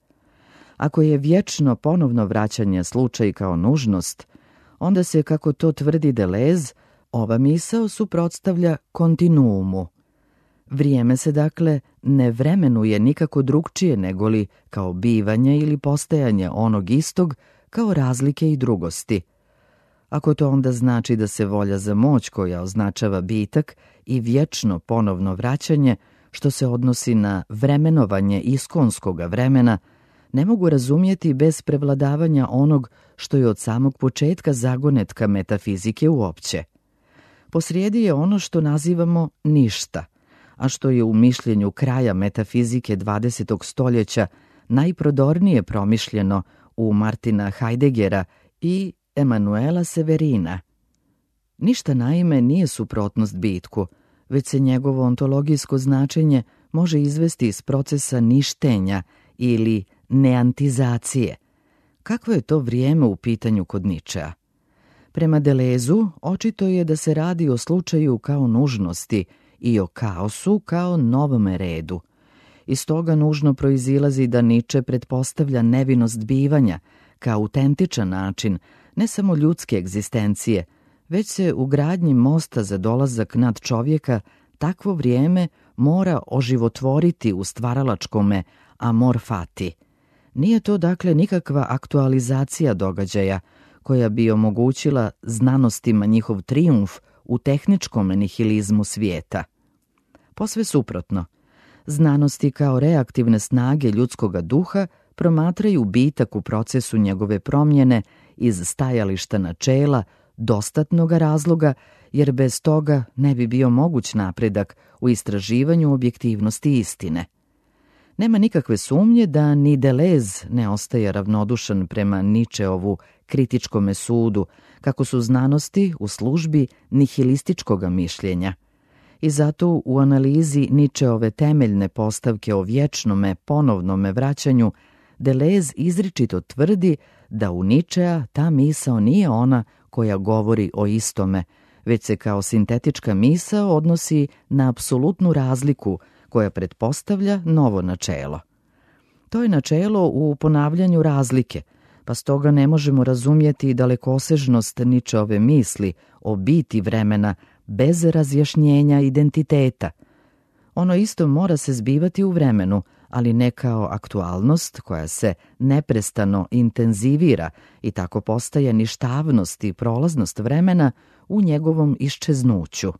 Ako je vječno ponovno vraćanje slučaj kao nužnost, onda se, kako to tvrdi Deleuze, ova misao suprotstavlja kontinuumu. Vrijeme se dakle ne vremenuje nikako drugčije negoli kao bivanje ili postajanje onog istog kao razlike i drugosti. Ako to onda znači da se volja za moć koja označava bitak i vječno ponovno vraćanje, što se odnosi na vremenovanje iskonskoga vremena, ne mogu razumjeti bez prevladavanja onog što je od samog početka zagonetka metafizike uopće. Posrijedi je ono što nazivamo ništa, a što je u mišljenju kraja metafizike dvadesetog stoljeća najprodornije promišljeno u Martina Heideggera i Emanuela Severina. Ništa naime nije suprotnost bitku, već se njegovo ontologijsko značenje može izvesti iz procesa ništenja ili neantizacije. Kakvo je to vrijeme u pitanju kod Nietzschea? Prema Deleuzu, očito je da se radi o slučaju kao nužnosti i o kaosu kao novome redu. Iz toga nužno proizilazi da Nietzsche pretpostavlja nevinost bivanja kao autentičan način ne samo ljudske egzistencije, već se u gradnji mosta za dolazak nad čovjeka takvo vrijeme mora oživotvoriti u stvaralačkome amor fati. Nije to dakle nikakva aktualizacija događaja koja bi omogućila znanostima njihov trijumf u tehničkom nihilizmu svijeta. Posve suprotno, znanosti kao reaktivne snage ljudskoga duha promatraju bitak u procesu njegove promjene iz stajališta načela, dostatnoga razloga, jer bez toga ne bi bio moguć napredak u istraživanju objektivnosti istine. Nema nikakve sumnje da ni Deleuze ne ostaje ravnodušan prema Nietzscheovu kritičkome sudu, kako su znanosti u službi nihilističkoga mišljenja. I zato u analizi Nietzscheove temeljne postavke o vječnome ponovnome vraćanju Deleuze izričito tvrdi da u Nietzschea ta misao nije ona koja govori o istome, već se kao sintetička misao odnosi na apsolutnu razliku koja pretpostavlja novo načelo. To je načelo u ponavljanju razlike, pa stoga ne možemo razumjeti dalekosežnost Nietzscheove misli o biti vremena bez razjašnjenja identiteta. Ono isto mora se zbivati u vremenu, ali ne kao aktualnost koja se neprestano intenzivira i tako postaje ništavnost i prolaznost vremena u njegovom iščeznuću.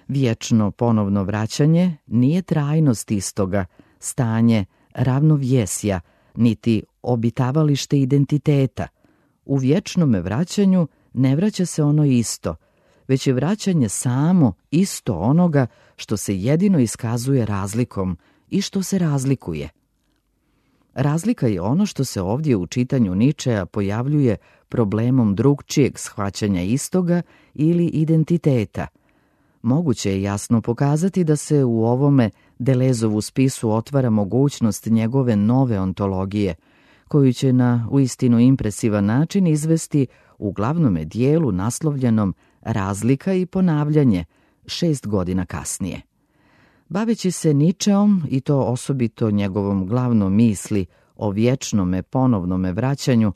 Vječno ponovno vraćanje nije trajnost istoga, stanje ravnovjesja, niti obitavalište identiteta. U vječnome vraćanju ne vraća se ono isto, već je vraćanje samo isto onoga što se jedino iskazuje razlikom i što se razlikuje. Razlika je ono što se ovdje u čitanju Nietzschea pojavljuje problemom drugčijeg shvaćanja istoga ili identiteta. Moguće je jasno pokazati da se u ovome Deleuzovu spisu otvara mogućnost njegove nove ontologije, koju će na uistinu impresivan način izvesti u glavnome dijelu naslovljenom Razlika i ponavljanje, šest godina kasnije. Baveći se Ničeom, i to osobito njegovom glavnom misli o vječnome ponovnome vraćanju,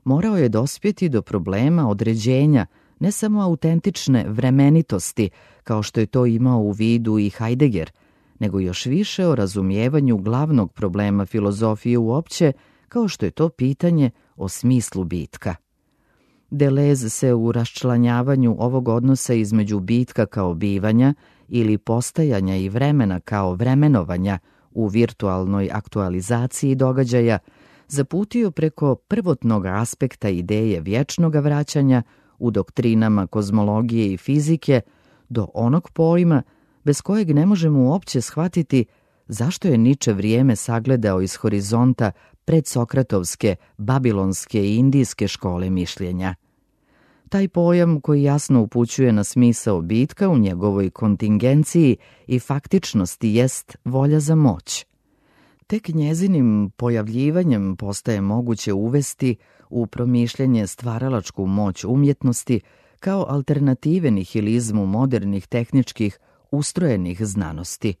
morao je dospjeti do problema određenja ne samo autentične vremenitosti, kao što je to imao u vidu i Heidegger, nego još više o razumijevanju glavnog problema filozofije uopće, kao što je to pitanje o smislu bitka. Deleuze se u raščlanjavanju ovog odnosa između bitka kao bivanja ili postajanja i vremena kao vremenovanja u virtualnoj aktualizaciji događaja zaputio preko prvotnog aspekta ideje vječnog vraćanja u doktrinama kozmologije i fizike do onog pojma bez kojeg ne možemo uopće shvatiti zašto je Niče vrijeme sagledao iz horizonta predsokratovske, babilonske i indijske škole mišljenja. Taj pojam koji jasno upućuje na smisao bitka u njegovoj kontingenciji i faktičnosti jest volja za moć. Tek njezinim pojavljivanjem postaje moguće uvesti u promišljanje stvaralačku moć umjetnosti kao alternative nihilizmu modernih tehničkih ustrojenih znanosti.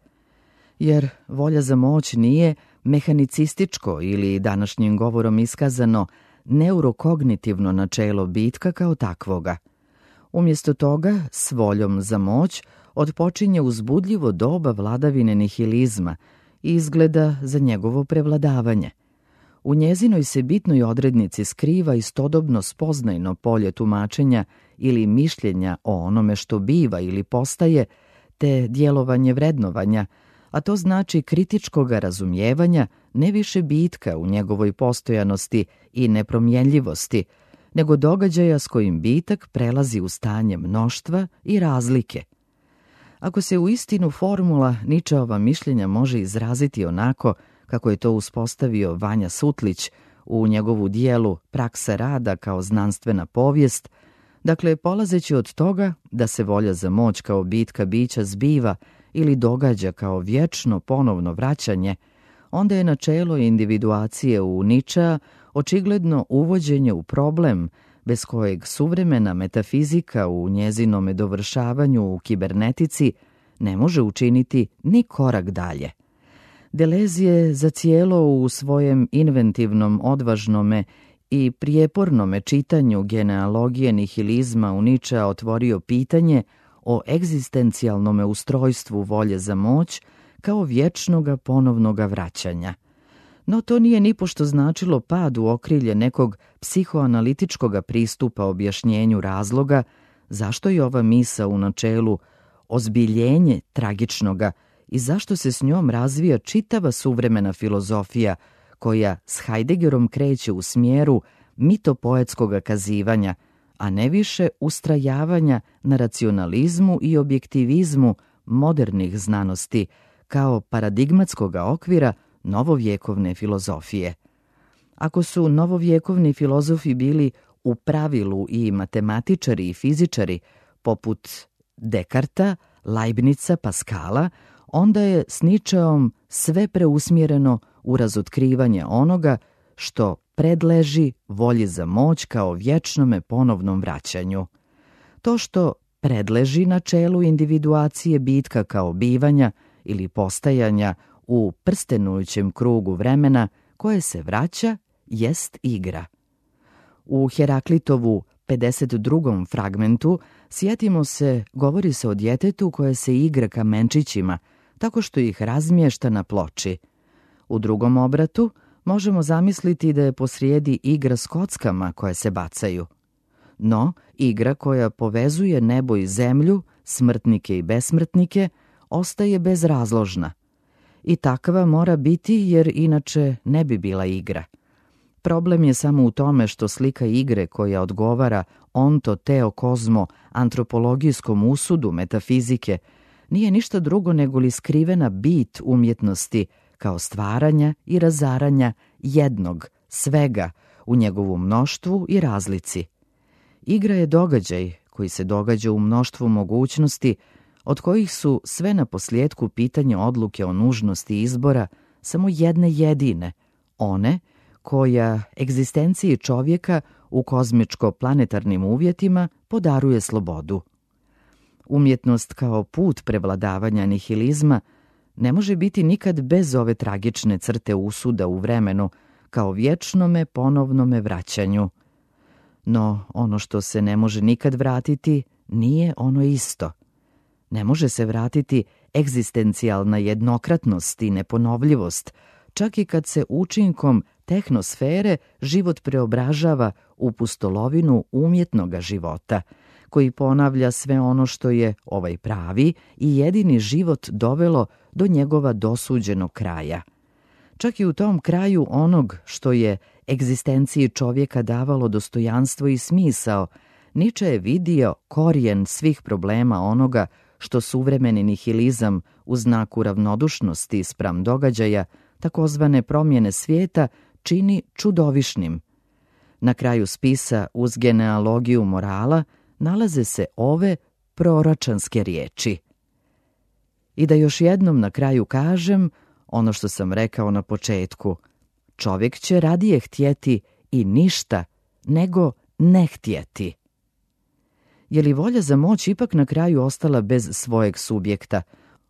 Jer volja za moć nije mehanicističko ili današnjim govorom iskazano neurokognitivno načelo bitka kao takvoga. Umjesto toga, s voljom za moć otpočinje uzbudljivo doba vladavine nihilizma i izgleda za njegovo prevladavanje. U njezinoj se bitnoj odrednici skriva istodobno spoznajno polje tumačenja ili mišljenja o onome što biva ili postaje, te djelovanje vrednovanja, a to znači kritičkoga razumijevanja ne više bitka u njegovoj postojanosti i nepromjenljivosti, nego događaja s kojim bitak prelazi u stanje mnoštva i razlike. Ako se u istinu formula Ničeova mišljenja može izraziti onako kako je to uspostavio Vanja Sutlić u njegovu dijelu Praksa rada kao znanstvena povijest, dakle polazeći od toga da se volja za moć kao bitka bića zbiva ili događa kao vječno ponovno vraćanje, onda je načelo individuacije u Ničea očigledno uvođenje u problem bez kojeg suvremena metafizika u njezinome dovršavanju u kibernetici ne može učiniti ni korak dalje. Deleuze je zacijelo u svojem inventivnom, odvažnome i prijepornome čitanju genealogije nihilizma u Ničea otvorio pitanje o egzistencijalnome ustrojstvu volje za moć kao vječnoga ponovnoga vraćanja. No to nije nipošto značilo pad u okrilje nekog psihoanalitičkoga pristupa objašnjenju razloga zašto je ova misa u načelu ozbiljenje tragičnoga i zašto se s njom razvija čitava suvremena filozofija koja s Heideggerom kreće u smjeru mitopoetskoga kazivanja, a ne više ustrajavanja na racionalizmu i objektivizmu modernih znanosti kao paradigmatskoga okvira novovjekovne filozofije. Ako su novovjekovni filozofi bili u pravilu i matematičari i fizičari poput Dekarta, Leibnica, Paskala, onda je s Ničeom sve preusmjereno u razotkrivanje onoga što predleži volji za moć kao vječnome ponovnom vraćanju. To što predleži načelu individuacije bitka kao bivanja ili postajanja u prstenujućem krugu vremena koje se vraća jest igra. U Heraklitovu pedeset drugom fragmentu sjetimo se, govori se o djetetu koje se igra kamenčićima tako što ih razmješta na ploči. U drugom obratu možemo zamisliti da je posrijedi igra s kockama koje se bacaju. No, igra koja povezuje nebo i zemlju, smrtnike i besmrtnike, ostaje bezrazložna. I takva mora biti jer inače ne bi bila igra. Problem je samo u tome što slika igre koja odgovara onto teo kozmo antropologijskom usudu metafizike nije ništa drugo nego li skrivena bit umjetnosti kao stvaranja i razaranja jednog, svega, u njegovu mnoštvu i razlici. Igra je događaj koji se događa u mnoštvu mogućnosti, od kojih su sve na posljedku pitanje odluke o nužnosti izbora samo jedne jedine, one koja egzistenciji čovjeka u kozmičko-planetarnim uvjetima podaruje slobodu. Umjetnost kao put prevladavanja nihilizma ne može biti nikad bez ove tragične crte usuda u vremenu, kao vječnome ponovnome vraćanju. No ono što se ne može nikad vratiti nije ono isto. Ne može se vratiti egzistencijalna jednokratnost i neponovljivost, čak i kad se učinkom tehnosfere život preobražava u pustolovinu umjetnoga života, koji ponavlja sve ono što je ovaj pravi i jedini život dovelo do njegova dosuđenog kraja. Čak i u tom kraju onog što je egzistenciji čovjeka davalo dostojanstvo i smisao, Niče je vidio korijen svih problema onoga što suvremeni nihilizam u znaku ravnodušnosti spram događaja, takozvane promjene svijeta, čini čudovišnim. Na kraju spisa uz genealogiju morala nalaze se ove proročanske riječi. I da još jednom na kraju kažem ono što sam rekao na početku. Čovjek će radije htjeti i ništa nego ne htjeti. Je li volja za moć ipak na kraju ostala bez svojeg subjekta,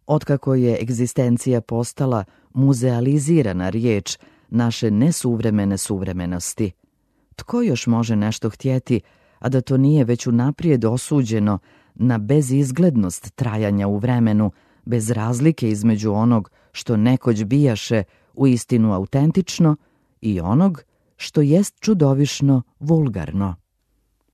otkako je egzistencija postala muzealizirana riječ naše nesuvremene suvremenosti? Tko još može nešto htjeti, a da to nije već unaprijed osuđeno na bezizglednost trajanja u vremenu, bez razlike između onog što nekoć bijaše u istinu autentično i onog što jest čudovišno vulgarno?